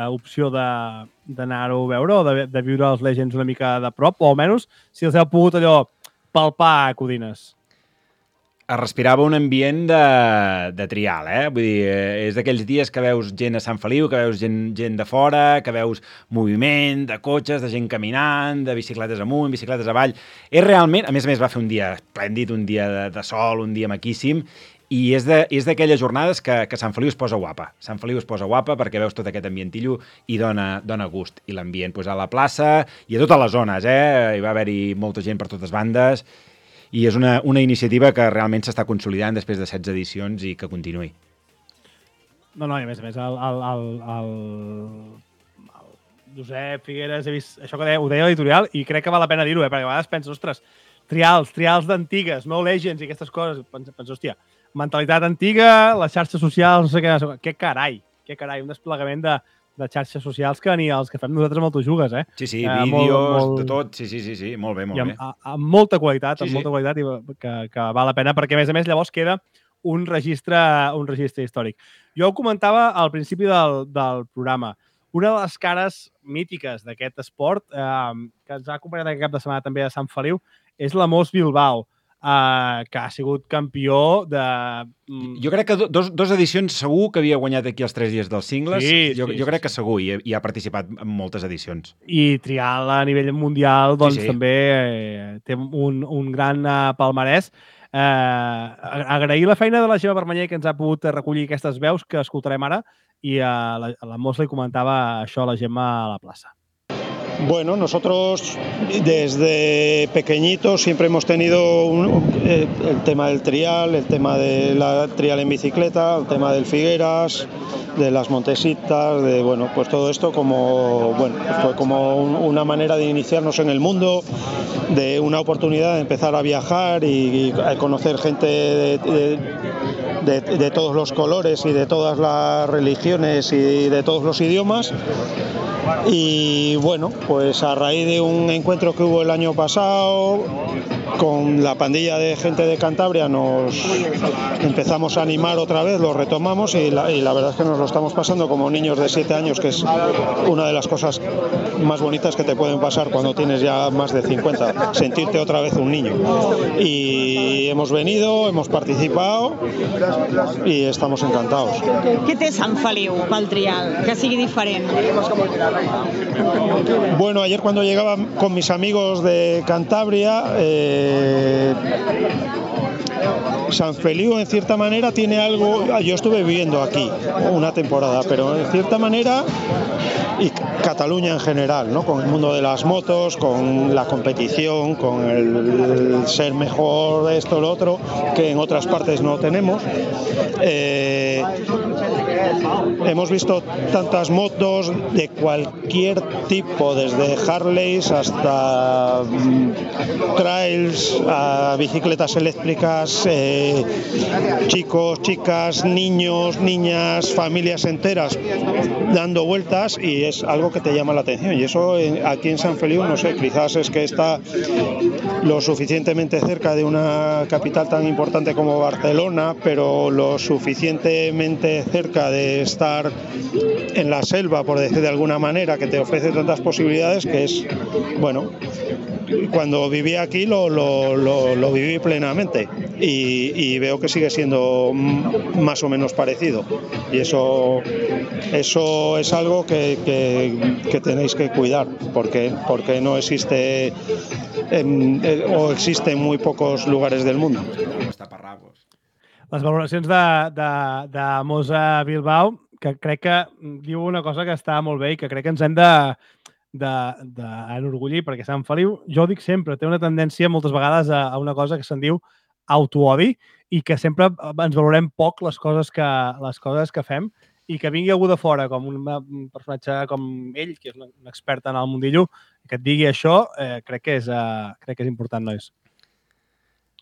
opció d'anar-ho a veure o de viure els Legends una mica de prop, o almenys si els heu pogut allò palpar, Codines. Es respirava un ambient de trial, Vull dir, és d'aquells dies que veus gent a Sant Feliu, que veus gent de fora, que veus moviment de cotxes, de gent caminant, de bicicletes amunt, bicicletes avall. És realment, a més va fer un dia esplèndid, un dia de sol, un dia maquíssim, i és d'aquelles jornades que Sant Feliu es posa guapa. Sant Feliu es posa guapa perquè veus tot aquest ambientillo i dona gust. I l'ambient a la plaça i a totes les zones, Hi va haver-hi molta gent per totes bandes i és una iniciativa que realment s'està consolidant després de 16 edicions i que continuï. No, i a més, el Josep Figueres, he vist això que ho deia a l'editorial i crec que val la pena dir-ho, perquè a vegades penses, ostres, trials d'antigues, no Legends i aquestes coses. Penso, hòstia, mentalitat antiga, les xarxes socials, no sé què, què carai, un desplegament de xarxes socials que ni els que fem nosaltres amb autojugues, Sí, vídeos, de tot, sí, molt bé. Amb molta qualitat, molta qualitat, i que val la pena, perquè a més llavors queda un registre històric. Jo ho comentava al principi del programa. Una de les cares mítiques d'aquest esport, que ens ha acompanyat aquest cap de setmana també a Sant Feliu, és la Mos Bilbao, que ha sigut campió de... Jo crec que dos edicions segur que havia guanyat aquí els 3 dies dels cingles. Jo crec que segur, i ha participat en moltes edicions. I trial a nivell mundial, doncs també té un gran palmarès. Agrair la feina de la Gemma Vermeller, que ens ha pogut recollir aquestes veus que escoltarem ara, i a la Mos li comentava això a la Gemma a la plaça. Bueno, nosotros desde pequeñitos siempre hemos tenido el tema del trial, el tema de la trial en bicicleta, el tema del Figueras, de las Montesitas, pues todo esto fue como una manera de iniciarnos en el mundo, de una oportunidad de empezar a viajar y a conocer gente de todos los colores y de todas las religiones y de todos los idiomas. Y bueno, pues a raíz de un encuentro que hubo el año pasado con la pandilla de gente de Cantabria nos empezamos a animar otra vez, lo retomamos y la verdad es que nos lo estamos pasando como niños de 7 años, que es una de las cosas más bonitas que te pueden pasar cuando tienes ya más de 50, sentirte otra vez un niño. Y hemos venido, hemos participado y estamos encantados. Què té Sant Feliu pel trial, que sigui diferent? Bueno, ayer cuando llegaba con mis amigos de Cantabria, San Feliu en cierta manera tiene algo, yo estuve viviendo aquí una temporada, pero en cierta manera, y Cataluña en general, ¿no? Con el mundo de las motos, con la competición, con el ser mejor, esto, lo otro, que en otras partes no tenemos. Hemos visto tantas motos de cualquier tipo, desde Harleys hasta trails, a bicicletas eléctricas, chicos, chicas, niños, niñas, familias enteras dando vueltas, y es algo que te llama la atención. Y eso aquí en San Feliu, no sé, quizás es que está lo suficientemente cerca de una capital tan importante como Barcelona, pero lo suficientemente cerca de estar en la selva, por decir de alguna manera, que te ofrece tantas posibilidades que es, bueno, cuando viví aquí lo viví plenamente y veo que sigue siendo más o menos parecido, y eso es algo que tenéis que cuidar, porque no existe o existe en muy pocos lugares del mundo. Les valoracions de Mosa Bilbao, que crec que diu una cosa que està molt bé i que crec que ens hem d'enorgullir, perquè Sant Feliu, jo ho dic sempre, té una tendència moltes vegades a una cosa que se'n diu autoodi i que sempre ens valorem poc les coses que fem, i que vingui algú de fora, com un personatge com ell, que és un expert en el mundillo, que et digui això, crec que és important, nois.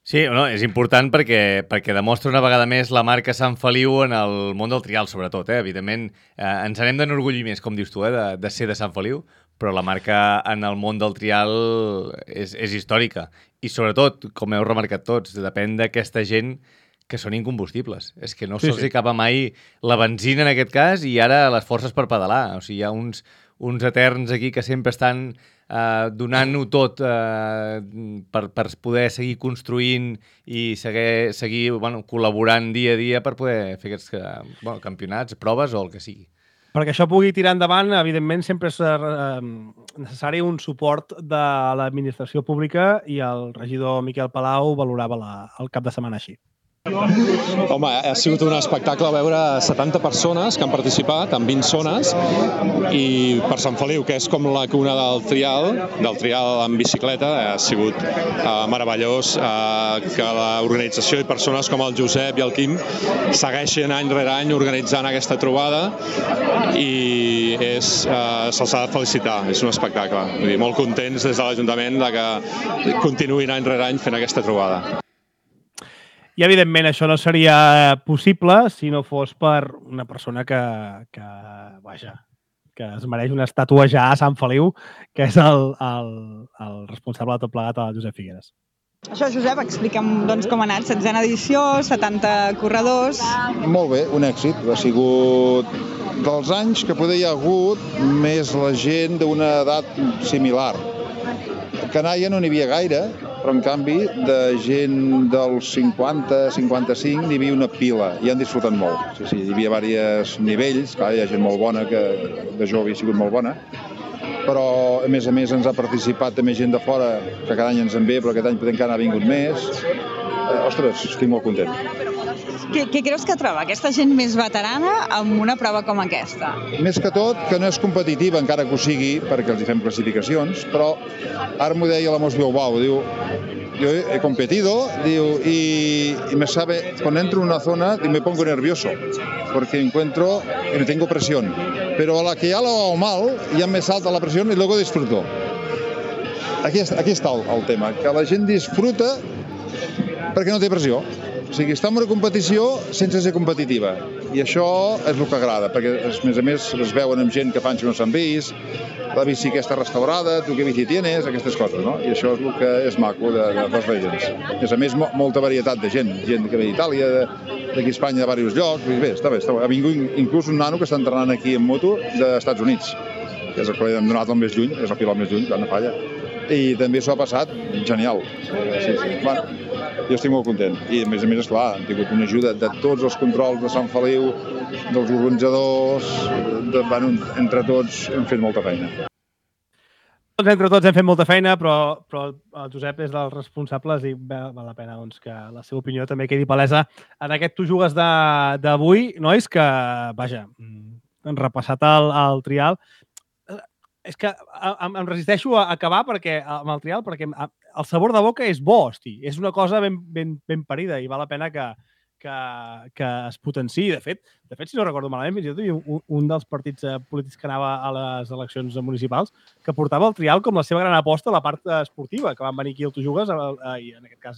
Sí, no, és important perquè demostra una vegada més la marca Sant Feliu en el món del trial, sobretot. Evidentment, ens n'hem d'enorgullir més, com dius tu, de ser de Sant Feliu, però la marca en el món del trial és històrica. I sobretot, com heu remarcat tots, depèn d'aquesta gent que són incombustibles. És que no se'ls acaba mai la benzina en aquest cas i ara les forces per pedalar. O sigui, hi ha uns eterns aquí que sempre estan donant-ho tot per poder seguir construint i seguir col·laborant dia a dia per poder fer aquests campionats, proves o el que sigui. Perquè això pugui tirar endavant, evidentment, sempre és necessari un suport de l'administració pública i el regidor Miquel Palau valorava el cap de setmana així. Home, ha sigut un espectacle veure 70 persones que han participat en 20 zones i per Sant Feliu, que és com la cuna del trial en bicicleta, ha sigut meravellós que l'organització i persones com el Josep i el Quim segueixin any rere any organitzant aquesta trobada i se'ls ha de felicitar, és un espectacle. Vull dir, molt contents des de l'Ajuntament que continuïn any rere any fent aquesta trobada. I, evidentment, això no seria possible si no fos per una persona que es mereix una estàtua ja a Sant Feliu, que és el responsable de tot plegat, el Josep Figueres. Això, Josep, explica'm com ha anat. 16a edició, 70 corredors... Molt bé, un èxit. Ha sigut dels anys que poder hi ha hagut més la gent d'una edat similar. A Canalla no n'hi havia gaire, però en canvi de gent dels 50-55 n'hi havia una pila i han disfrutat molt. Sí, hi havia diversos nivells, clar, hi ha gent molt bona, que de jove havia sigut molt bona, però a més ens ha participat també gent de fora, que cada any ens en ve, però aquest any encara ha vingut més. Ostres, estic molt content. Què creus que troba aquesta gent més veterana amb una prova com aquesta? Més que tot, que no és competitiva, encara que ho sigui, perquè els hi fem classificacions, però ara m'ho deia la Mos Bilbao, diu, yo he competido, digo, y me sabe, cuando entro en una zona me pongo nervioso, porque encuentro y no tengo presión, pero a la que ya lo hago mal, ya me salta la presión y luego disfruto. Aquí està el tema, que la gent disfruta perquè no té pressió. O sigui, està en una competició sense ser competitiva. I això és el que agrada, perquè a més es veuen amb gent que fa anys que no s'han vist, la bici aquesta restaurada, tu què bici tienes, aquestes coses, no? I això és el que és maco de les Legends. A més, molta varietat de gent que ve d'Itàlia, d'aquí a Espanya, de diversos llocs. Bé, està bé. Ha vingut inclús un nano que està entrenant aquí en moto dels Estats Units, que és el que hem donat el més lluny, és el pilot més lluny, no falla. I també s'ho ha passat genial. Sí. Bueno, jo estic molt content. I a més, esclar, hem tingut una ajuda de tots els controls de Sant Feliu, dels organitzadors, entre tots hem fet molta feina. Entre tots hem fet molta feina, però el Josep és dels responsables i val la pena que la seva opinió també quedi palesa en aquest Tu jugues d'avui, nois, que, vaja, han repassat el trial. És que em resisteixo a acabar amb el trial perquè el sabor de boca és bo, hosti. És una cosa ben parida i val la pena que es potenciï. De fet, si no recordo malament, fins i tot hi havia un dels partits polítics que anava a les eleccions municipals que portava el trial com la seva gran aposta a la part esportiva, que van venir aquí al Tu Jugues, i en aquest cas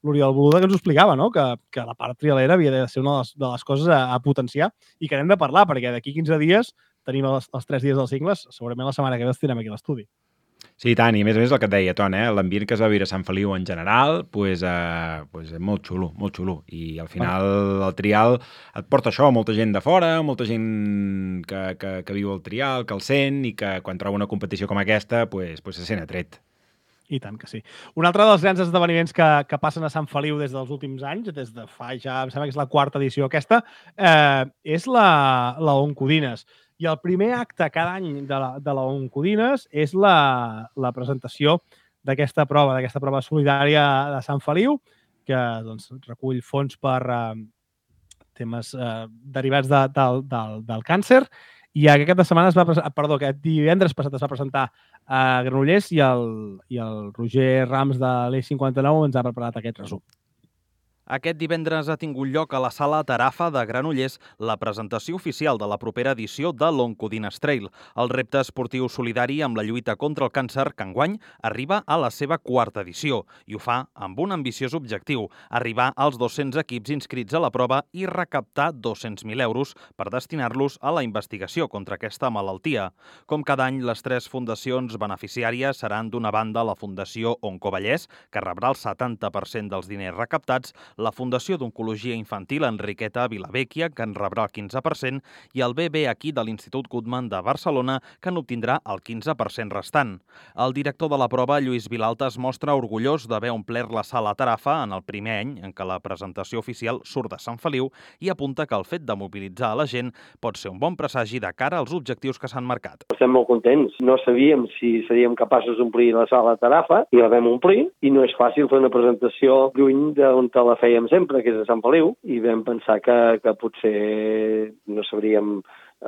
l'Oriol Boluda, que ens ho explicava, no? Que la part trialera havia de ser una de les coses a potenciar i que n'hem de parlar, perquè d'aquí 15 dies tenim els 3 dies dels cingles, segurament la setmana que ve els tindrem aquí a l'estudi. Sí, tant, i a més el que et deia, Ton, l'ambient que es va viure a Sant Feliu en general, és molt xulo, molt xulo. I al final el trial et porta això, molta gent de fora, molta gent que viu el trial, que el sent i que quan troba una competició com aquesta se sent atret. I tant que sí. Un altre dels grans esdeveniments que passen a Sant Feliu des dels últims anys, des de fa ja, em sembla que és la 4ª edició aquesta, és la Oncodines. I el primer acte cada any de la Oncodines és la presentació d'aquesta prova solidària de Sant Feliu, que doncs, recull fons per temes derivats del càncer. I aquest aquest divendres passat es va presentar a Granollers i el Roger Rams de l'E59 ens ha preparat aquest resum. Aquest divendres ha tingut lloc a la Sala Tarafa de Granollers la presentació oficial de la propera edició de l'Oncodines Trail. El repte esportiu solidari amb la lluita contra el càncer que enguany arriba a la seva 4ª edició i ho fa amb un ambiciós objectiu, arribar als 200 equips inscrits a la prova i recaptar 200.000 euros per destinar-los a la investigació contra aquesta malaltia. Com cada any, les 3 fundacions beneficiàries seran d'una banda la Fundació Oncovallès, que rebrà el 70% dels diners recaptats, la Fundació d'Oncologia Infantil Enriqueta Vilavecchia, que en rebrà el 15%, i el BB aquí de l'Institut Guttmann de Barcelona, que n'obtindrà el 15% restant. El director de la prova, Lluís Vilalta, es mostra orgullós d'haver omplert la Sala Tarafa en el primer any en què la presentació oficial surt de Sant Feliu i apunta que el fet de mobilitzar a la gent pot ser un bon presagi de cara als objectius que s'han marcat. Estem molt contents. No sabíem si seríem capaços d'omplir la Sala Tarafa i la vam omplir, i no és fàcil fer una presentació lluny d'on te la fèiem sempre, que és a Sant Feliu, i vam pensar que potser no sabríem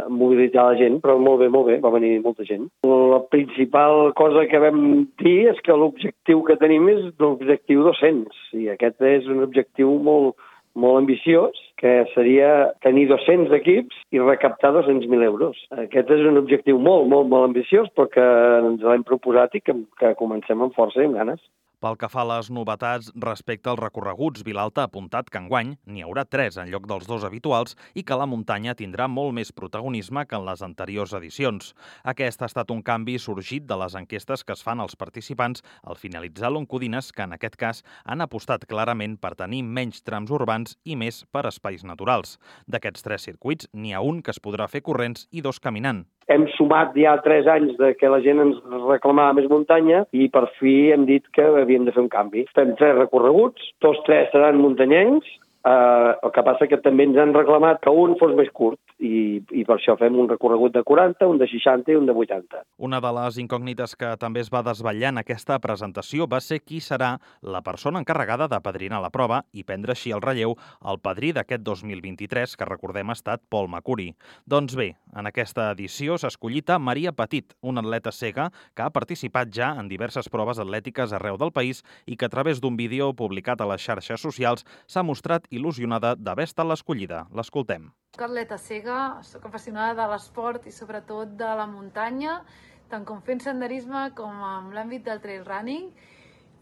mobilitzar la gent, però molt bé, va venir molta gent. La principal cosa que vam dir és que l'objectiu que tenim és l'objectiu 200, i aquest és un objectiu molt ambiciós, que seria tenir 200 equips i recaptar 200.000 euros. Aquest és un objectiu molt ambiciós, però que ens l'hem proposat i que comencem amb força i amb ganes. Pel que fa a les novetats respecte als recorreguts, Vilalta ha apuntat que enguany n'hi haurà 3 en lloc dels 2 habituals i que la muntanya tindrà molt més protagonisme que en les anteriors edicions. Aquest ha estat un canvi sorgit de les enquestes que es fan als participants al finalitzar l'Oncodines, que en aquest cas han apostat clarament per tenir menys trams urbans i més per espais naturals. D'aquests 3 circuits, n'hi ha un que es podrà fer corrents i 2 caminant. Hem sumat ja 3 anys de que la gent ens reclamava més muntanya i per fi hem dit que havíem de fer un canvi. Fem 3 recorreguts, tots 3 seran muntanyencs, el que passa que també ens han reclamat que un fos més curt i per això fem un recorregut de 40, un de 60 i un de 80. Una de les incògnites que també es va desvetllar en aquesta presentació va ser qui serà la persona encarregada de padrinar la prova i prendre així el relleu al padrí d'aquest 2023, que recordem ha estat Paul Macuri. Doncs bé, en aquesta edició s'ha escollit a Maria Petit, una atleta cega que ha participat ja en diverses proves atlètiques arreu del país i que a través d'un vídeo publicat a les xarxes socials s'ha mostrat il·lusionada d'haver estat l'escollida. L'escoltem. Soc atleta cega, soc apassionada de l'esport i sobretot de la muntanya, tant com fent senderisme com en l'àmbit del trail running.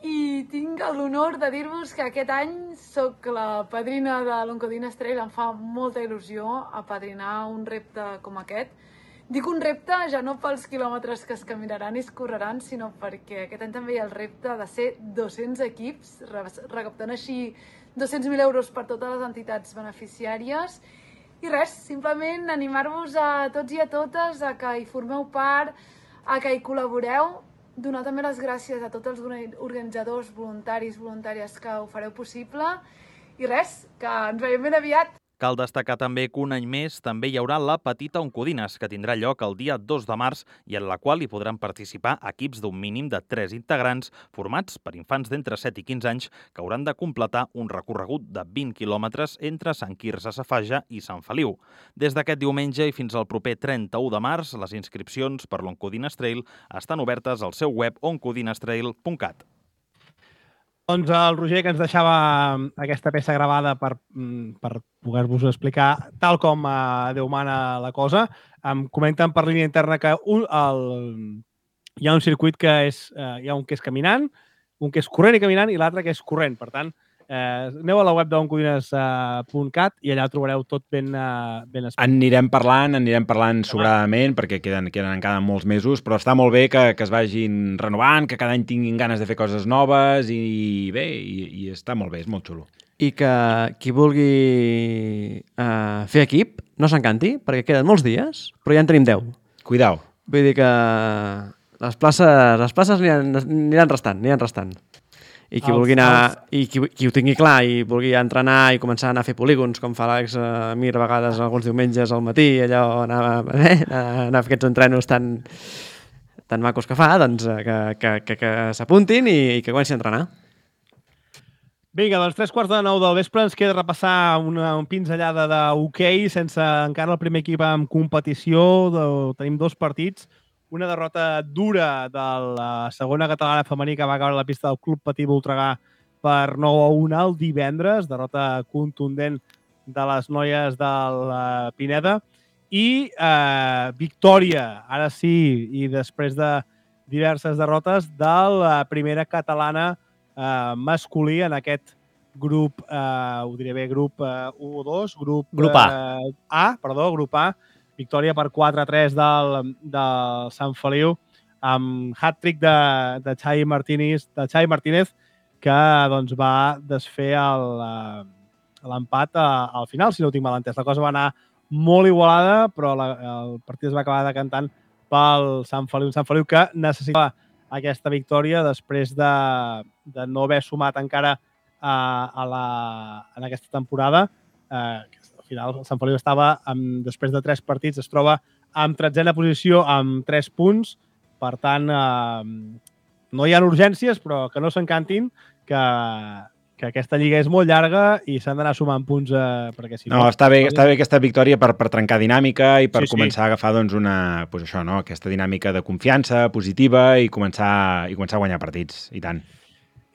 I tinc l'honor de dir-vos que aquest any soc la padrina de l'Oncodines Trail. Em fa molta il·lusió apadrinar un repte com aquest. Dic un repte ja no pels quilòmetres que es caminaran i es correran, sinó perquè aquest any també hi ha el repte de ser 200 equips, recaptant així 200.000 euros per totes les entitats beneficiàries. I res, simplement animar-vos a tots i a totes a que hi formeu part, a que hi col·laboreu, donar també les gràcies a tots els organitzadors, voluntaris, voluntàries que ho fareu possible. I res, que ens veiem ben aviat. Cal destacar també que un any més també hi haurà la Petita Oncodines, que tindrà lloc el dia 2 de març i en la qual hi podran participar equips d'un mínim de 3 integrants formats per infants d'entre 7 i 15 anys que hauran de completar un recorregut de 20 quilòmetres entre Sant Quirze Safaja i Sant Feliu. Des d'aquest diumenge i fins al proper 31 de març, les inscripcions per l'Oncodines Trail estan obertes al seu web oncodinestrail.cat. Doncs el Roger, que ens deixava aquesta peça gravada per poder-vos explicar tal com Déu mana la cosa, em comenten per línia interna que hi ha un circuit que hi ha un que és caminant, un que és corrent i caminant i l'altre que és corrent. Per tant, Aneu a la web d'oncodines.cat i allà trobareu tot ben explicat. Anirem parlant sobradament, perquè queden encara molts mesos, però està molt bé que es vagin renovant, que cada any tinguin ganes de fer coses noves i bé, i està molt bé, és molt xulo. I que qui vulgui fer equip no s'encanti, perquè queden molts dies, però ja en tenim 10. Cuidao. Vull dir que les places aniran restant. I qui vulgui anar, i qui ho tingui clar i vulgui entrenar i començar a anar a fer polígons, com fa l'Àlex Mir a vegades alguns diumenges al matí, allò anar a fer aquests entrenos tan macos que fa, doncs que s'apuntin i que comencin a entrenar. Vinga, doncs 9:15 del vespre ens queda repassar una pinzellada d'hoquei sense encara el primer equip en competició. Tenim 2 partits. Una derrota dura de la segona catalana femení que va caure a la pista del Club Patí Voltregà per 9-1 el divendres. Derrota contundent de les noies del Pineda. I victòria, ara sí, i després de diverses derrotes, de la primera catalana masculí en aquest grup, ho diré bé, grup 1 o 2, grup A. Victòria per 4-3 del Sant Feliu, amb hat-trick de Xavi Martínez, que doncs, va desfer l'empat al final, si no ho tinc mal entès. La cosa va anar molt igualada, però el partit es va acabar decantant pel Sant Feliu. Un Sant Feliu que necessitava aquesta victòria després de no haver sumat encara en aquesta temporada. Al final, el Sant Feliu estava, després de 3 partits, es troba en 13a posició amb 3 punts. Per tant, no hi ha urgències, però que no s'encantin, que aquesta lliga és molt llarga i s'han d'anar sumant punts. Perquè si no, està bé aquesta victòria per trencar dinàmica i per començar a agafar doncs, aquesta dinàmica de confiança positiva i començar a guanyar partits, i tant.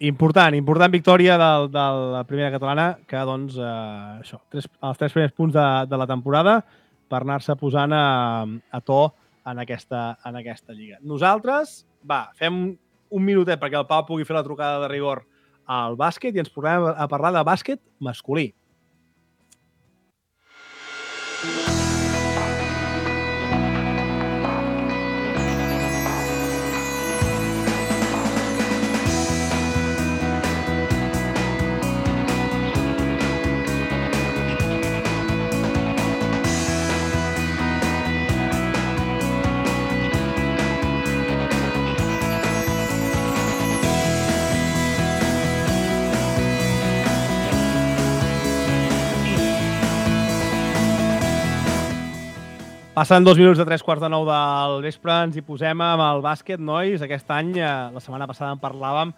Important victòria de la primera catalana, que doncs, els 3 primers punts de la temporada per anar-se posant a to en aquesta lliga. Nosaltres, fem un minutet perquè el Pau pugui fer la trucada de rigor al bàsquet i ens posem a parlar de bàsquet masculí. Passen 2 minuts de 9:15 del vespre, ens hi posem amb el bàsquet, nois. Aquest any, la setmana passada en parlàvem,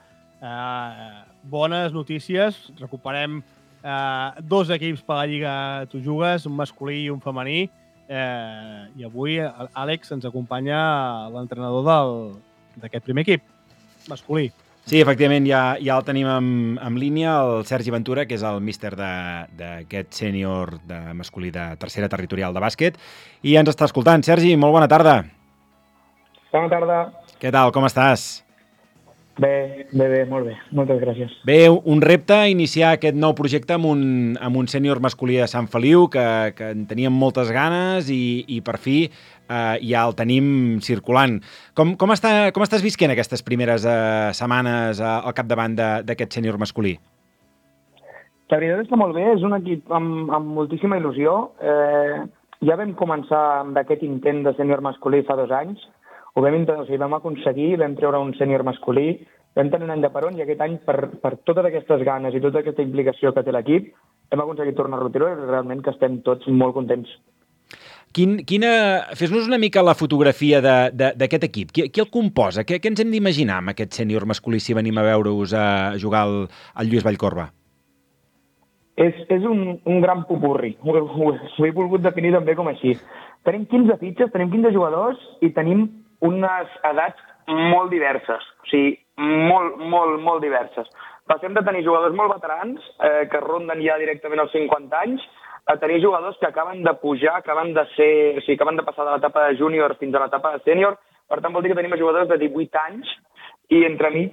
bones notícies. Recuperem 2 equips per la Lliga Tu Jugues, un masculí i un femení. I avui, Àlex, ens acompanya l'entrenador d'aquest primer equip, masculí. Sí, efectivament, ja el tenim en línia, el Sergi Ventura, que és el míster d'aquest sènior masculí de tercera territorial de bàsquet, i ens està escoltant. Sergi, molt bona tarda. Bona tarda. Què tal, com estàs? Bé, molt bé. Moltes gràcies. Bé, un repte iniciar aquest nou projecte amb un sènior masculí de Sant Feliu, que en teníem moltes ganes i per fi ja el tenim circulant. Com estàs visquent aquestes primeres setmanes al capdavant d'aquest sènior masculí? La veritat és que molt bé, és un equip amb moltíssima il·lusió. Ja vam començar amb aquest intent de sènior masculí fa 2 anys. Ho vam aconseguir, vam treure un sènior masculí, vam tenir un any de peron i aquest any, per totes aquestes ganes i tota aquesta implicació que té l'equip, hem aconseguit tornar-lo a treure i realment que estem tots molt contents. Fes-nos una mica la fotografia d'aquest equip. Qui el composa? Què ens hem d'imaginar amb aquest sènior masculí si venim a veure-us a jugar al Lluís Vallcorba? És un gran popurri. Ho he volgut definir també com així. Tenim 15 fitxes, tenim 15 jugadors i tenim unes edats molt diverses. O sigui, molt diverses. Passem de tenir jugadors molt veterans, que ronden ja directament els 50 anys, a tenir jugadors que acaben de pujar, acaben de passar de l'etapa de júnior fins a l'etapa de sènior. Per tant, vol dir que tenim jugadors de 18 anys i entremig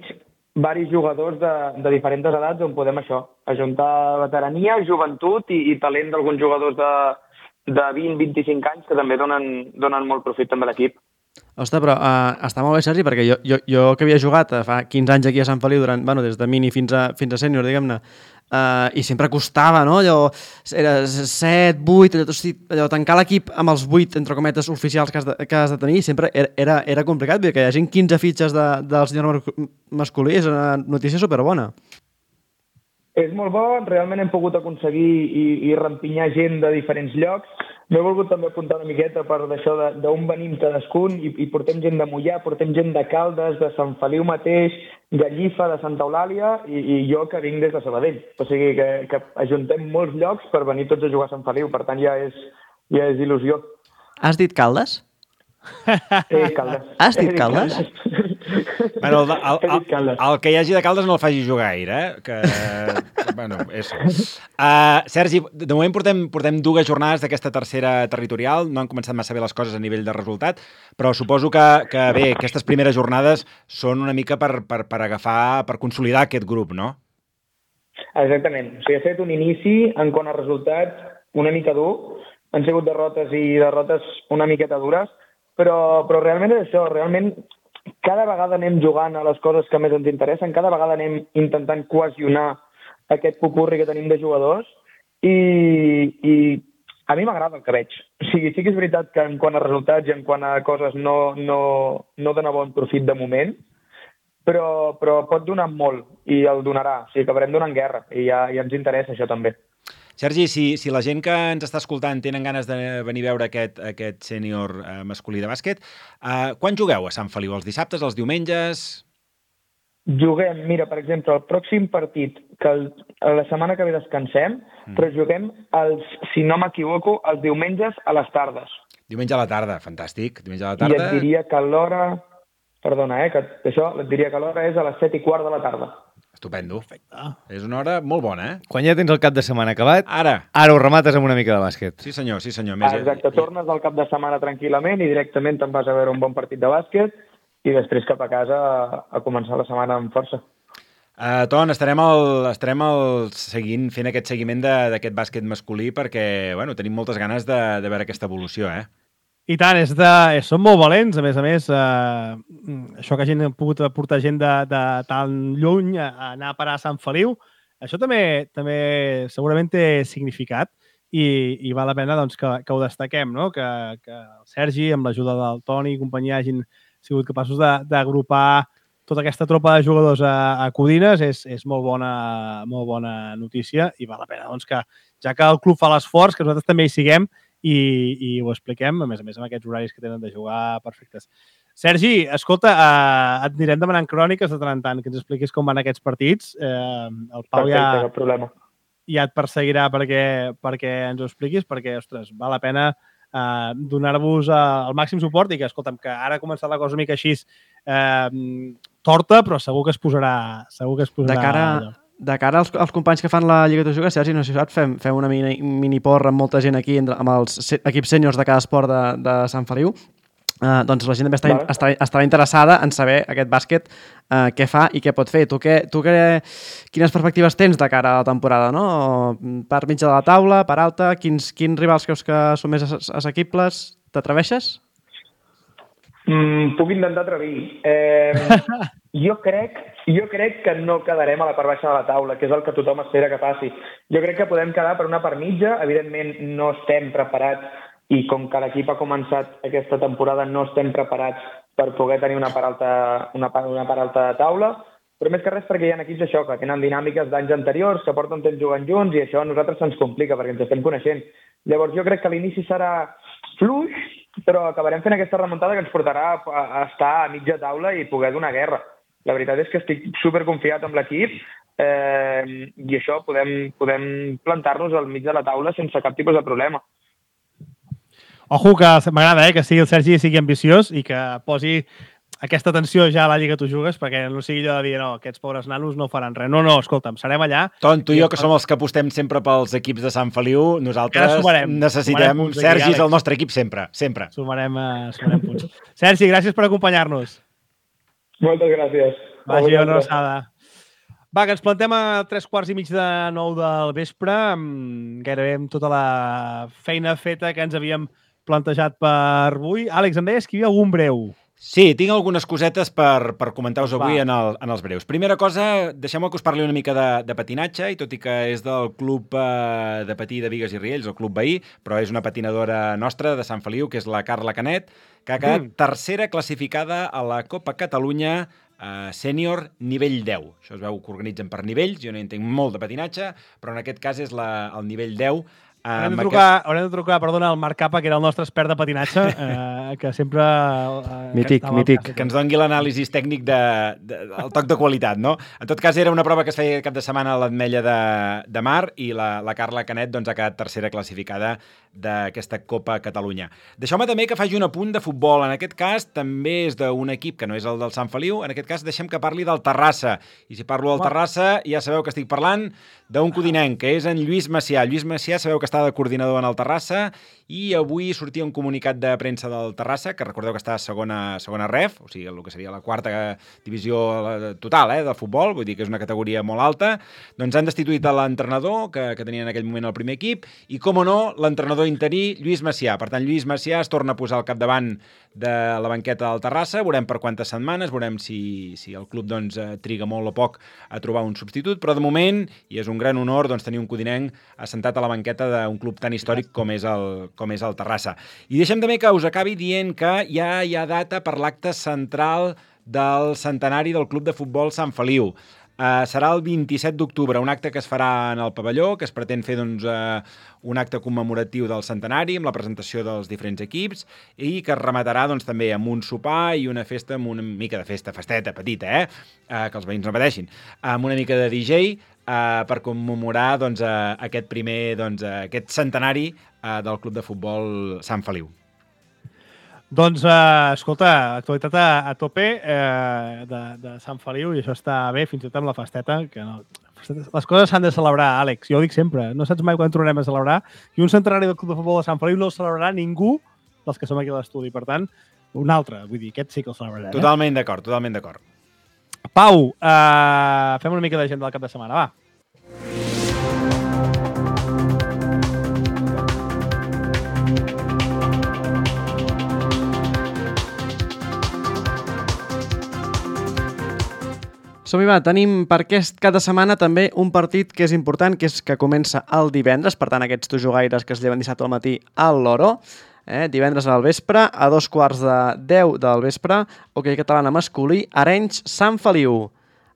varis jugadors de diferents edats on podem ajuntar veterania, joventut i talent d'alguns jugadors de 20-25 anys que també donen molt profit també a l'equip. Ostres, però està molt bé, Sergi, perquè jo que havia jugat fa 15 anys aquí a Sant Feliu, des de mini fins a sènior, diguem-ne, i sempre costava, no? Allò, era 7, 8, allò, tancar l'equip amb els 8, entre cometes, oficials que has de tenir, sempre era complicat, perquè que hi hagi 15 fitxes del senyor masculí és una notícia superbona. És molt bo, realment hem pogut aconseguir i rempinyar gent de diferents llocs. M'he volgut també apuntar una miqueta per d'això d'on venim cadascun i portem gent de Moià, portem gent de Caldes, de Sant Feliu mateix, Gallifa, de Santa Eulàlia i jo que vinc des de Sabadell. O sigui que ajuntem molts llocs per venir tots a jugar a Sant Feliu, per tant ja és il·lusió. Has dit Caldes? Caldes. Has dit Caldes? Bueno, el que hi hagi de Caldes no el faci jugar gaire, que... Bueno, és... Sergi, de moment portem 2 jornades d'aquesta tercera territorial, no han començat massa bé les coses a nivell de resultat, però suposo que bé, aquestes primeres jornades són una mica per agafar, per consolidar aquest grup, no? Exactament. O sigui, ha fet un inici en quant a resultats una mica dur, han sigut derrotes una miqueta dures, però realment és això, realment cada vegada anem jugant a les coses que més ens interessen, cada vegada anem intentant cohesionar aquest popurri que tenim de jugadors i a mi m'agrada el que veig. O sigui, sí que és veritat que en quant a resultats i en quant a coses no dona bon profit de moment, però pot donar molt i el donarà. O sigui, acabarem donant guerra i ja ens interessa això també. Sergi, si la gent que ens està escoltant tenen ganes de venir a veure aquest sènior masculí de bàsquet, quan jugueu a Sant Feliu? Els dissabtes, els diumenges? Juguem, mira, per exemple, el pròxim partit, que la setmana que ve descansem, però juguem, si no m'equivoco, els diumenges a les tardes. Diumenge a la tarda, fantàstic. Diumenge a la tarda. I et diria que l'hora... Perdona, que això et diria que l'hora és a les 7:15 de la tarda. Estupendo. Perfecte. És una hora molt bona, eh? Quan ja tens el cap de setmana acabat, ara ho remates amb una mica de bàsquet. Sí, senyor. Exacte, tornes al cap de setmana tranquil·lament i directament te'n vas a veure un bon partit de bàsquet i després cap a casa a començar la setmana amb força. Ton, estarem fent aquest seguiment d'aquest bàsquet masculí perquè tenim moltes ganes de veure aquesta evolució, eh? I tant, són molt valents, a més, això que ha pogut portar gent de tan lluny a anar a parar a Sant Feliu, això també segurament té significat i val la pena que ho destaquem, no? Que el Sergi, amb l'ajuda del Toni i companyia, hagin sigut capaços d'agrupar tota aquesta tropa de jugadors a Codines és molt bona notícia i val la pena que, ja que el club fa l'esforç, que nosaltres també hi siguem i ho expliquem, a més amb aquests horaris que tenen de jugar perfectes. Sergi, escolta, et anirem demanant cròniques de tant en tant, que ens expliquis com van aquests partits. El Pau Perfecte, cap problema. Ja et perseguirà perquè ens ho expliquis, perquè, ostres, val la pena donar-vos el màxim suport i que, escolta'm, que ara ha començat la cosa una mica així torta, però segur que es posarà De cara als companys que fan la Lliga de Juga, Sergi, no sé si saps, fem una mini porra amb molta gent aquí, amb els equips sèniors de cada esport de Sant Feliu. Doncs la gent també estarà interessada en saber aquest bàsquet què fa i què pot fer. Tu quines perspectives tens de cara a la temporada, no? Per mitja de la taula, per alta, quins rivals creus que són més assequibles? T'atreveixes? Puc intentar atrevir. Jo crec que no quedarem a la part baixa de la taula, que és el que tothom espera que passi. Jo crec que podem quedar per una part mitja. Evidentment no estem preparats i com que l'equip ha començat aquesta temporada no estem preparats per poder tenir una part alta de taula, però més que res perquè hi ha equips això, que tenen dinàmiques d'anys anteriors, que porten temps jugant junts i això a nosaltres se'ns complica perquè ens estem coneixent. Llavors jo crec que l'inici serà fluix, però acabarem fent aquesta remuntada que ens portarà a estar a mitja taula i poder donar guerra. La veritat és que estic superconfiat amb l'equip i això podem plantar-nos al mig de la taula sense cap tipus de problema. Ojo, que m'agrada que sigui el Sergi sigui ambiciós i que posi aquesta atenció ja a la Lliga Tu Jugues, perquè no sigui allò de dir, no, aquests pobres nanos no faran res. No, escolta'm, serem allà. Ton, tu i jo, que som els que apostem sempre pels equips de Sant Feliu, nosaltres necessitem Sergi és el nostre equip sempre. Sumarem punts. Sergi, gràcies per acompanyar-nos. Moltes gràcies. Vagi, una abraçada. Va, que ens plantem a 8:45 del vespre, gairebé amb tota la feina feta que ens havíem plantejat per avui. Àlex, em deies que hi havia algun breu. Sí, tinc algunes cosetes per comentar-vos avui en els breus. Primera cosa, deixeu-me que us parli una mica de patinatge, i tot i que és del club de patí de Bigues i Riells, el club veí, però és una patinadora nostra de Sant Feliu, que és la Carla Canet, que ha quedat tercera classificada a la Copa Catalunya sènior nivell 10. Això es veu que organitzen per nivells, jo no entenc molt de patinatge, però en aquest cas és el nivell 10. Haurem de trucar, perdona, al Marc Capa, que era el nostre expert de patinatge, que sempre... Mític. Que ens doni l'anàlisi tècnic del toc de qualitat, no? En tot cas, era una prova que es feia cap de setmana a l'Ametlla de Mar, i la Carla Canet ha quedat tercera classificada d'aquesta Copa Catalunya. Deixeu-me també que faci un apunt de futbol. En aquest cas, també és d'un equip que no és el del Sant Feliu. En aquest cas, deixem que parli del Terrassa. I si parlo del Terrassa, ja sabeu que estic parlant d'un codinenc, que és en Lluís Macià. Lluís Macià, sabeu que està de coordinador en el Terrassa, i avui sortia un comunicat de premsa del Terrassa, que recordeu que està a segona ref, o sigui, el que seria la quarta divisió total de futbol, vull dir que és una categoria molt alta. Doncs han destituït l'entrenador que tenia en aquell moment el primer equip, i, com o no, l'entrenador interí, Lluís Macià. Per tant, Lluís Macià es torna a posar al capdavant de la banqueta del Terrassa. Veurem per quantes setmanes, veurem si el club triga molt o poc a trobar un substitut, però de moment, i és un gran honor tenir un codinenc assentat a la banqueta d'un club tan històric com és el Terrassa. I deixem també que us acabi dient que ja hi ha data per l'acte central del centenari del Club de Futbol Sant Feliu. Serà el 27 d'octubre, un acte que es farà en el pavelló, que es pretén fer un acte commemoratiu del centenari, amb la presentació dels diferents equips, i que es rematarà també amb un sopar i una festa, amb una mica de festeta petita, que els veïns no pateixin, amb una mica de DJ, per commemorar aquest centenari del Club de Futbol Sant Feliu. Doncs, escolta, actualitat a tope de Sant Feliu, i això està bé, fins i tot amb la festeta, que no... Les coses s'han de celebrar, Àlex, jo ho dic sempre, no saps mai quan tornarem a celebrar, i un centenari del Club de Futbol de Sant Feliu no el celebrarà ningú dels que som aquí a l'estudi, per tant, un altre, vull dir, aquest sí que el celebrarà. Totalment d'acord, totalment d'acord. Pau, fem una mica d'agenda del cap de setmana, va. Som-hi, va, tenim per aquest cap de setmana també un partit que és important, que és que comença el divendres, per tant aquests tojogaires que es lleven dissabte al matí al Loro, divendres al vespre, a 9:45 del vespre, hoquei catalana masculí, Arenys, Sant Feliu.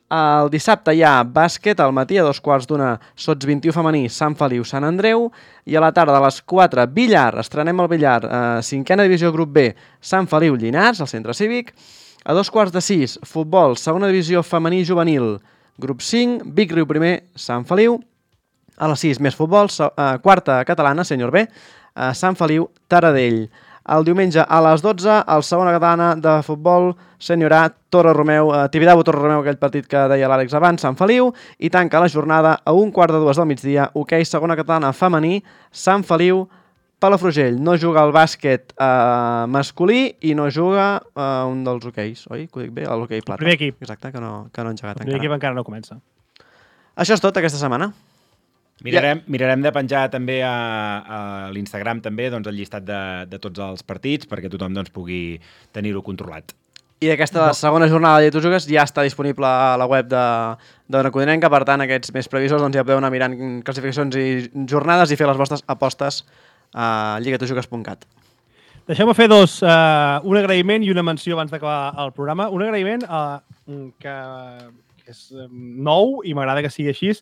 El dissabte hi ha bàsquet al matí, a 2:15, Sots 21 femení, Sant Feliu, Sant Andreu, i a la tarda a les 4, billar, estrenem el billar, 5a divisió grup B, Sant Feliu, Llinars, al centre cívic. A 2:45, futbol, segona divisió femení juvenil, grup 5, Vic Riu primer, Sant Feliu. A les 6, més futbol, quarta catalana, sènior B, Sant Feliu, Taradell. El diumenge a les 12, el segona catalana de futbol, sènior A, Torre Romeu, Tibidabo Torre Romeu, aquell partit que deia l'Àlex abans, Sant Feliu, i tanca la jornada a 1:45 del migdia, hoquei segona catalana femení, Sant Feliu, Palafrugell. No juga el bàsquet masculí i no juga un dels hoqueis, oi? Que ho dic bé? L'hoquei plata. Primer equip. Exacte, que no ha engegat encara. Primer equip encara no comença. Això és tot aquesta setmana. Mirarem de penjar també a l'Instagram també el llistat de tots els partits perquè tothom pugui tenir-ho controlat. I aquesta segona jornada de Tu Jugues ja està disponible a la web d'Ona Codinenca, per tant aquests més previsors ja podeu anar mirant classificacions i jornades i fer les vostres apostes a lligatujugues.cat. Deixeu-me fer un agraïment i una menció abans d'acabar el programa. Un agraïment que és nou i m'agrada que sigui així,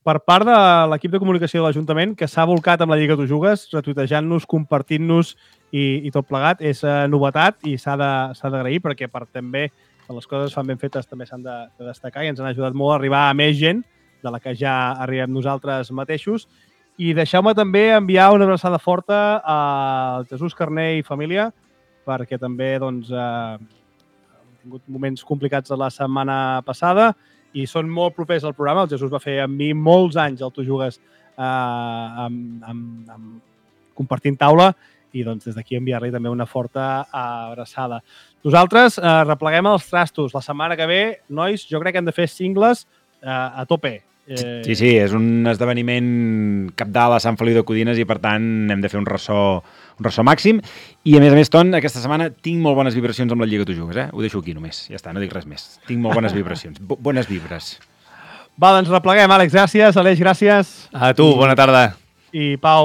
per part de l'equip de comunicació de l'Ajuntament, que s'ha volcat amb la Lliga Tu Jugues, retuitejant-nos, compartint-nos i tot plegat. És novetat i s'ha d'agrair perquè també quan les coses fan ben fetes també s'han de destacar i ens han ajudat molt a arribar a més gent de la que ja arribem nosaltres mateixos. I deixeu-me també enviar una abraçada forta al Jesús Carner i família, perquè també han tingut moments complicats la setmana passada i són molt propers al programa. El Jesús va fer amb mi molts anys al Tu Jugues amb compartint taula i doncs des d'aquí enviar-li també una forta abraçada. Nosaltres repleguem els trastos. La setmana que ve, nois, jo crec que hem de fer cingles a tope. Sí, és un esdeveniment cabdal a Sant Feliu de Codines i, per tant, hem de fer un ressò màxim. I, a més, Ton, aquesta setmana tinc molt bones vibracions amb la lliga que tu jugues, Ho deixo aquí només. Ja està, no dic res més. Tinc molt bones vibracions. Bones vibres. Va, doncs repleguem, Àlex, gràcies. Aleix, gràcies. A tu, bona tarda. I Pau,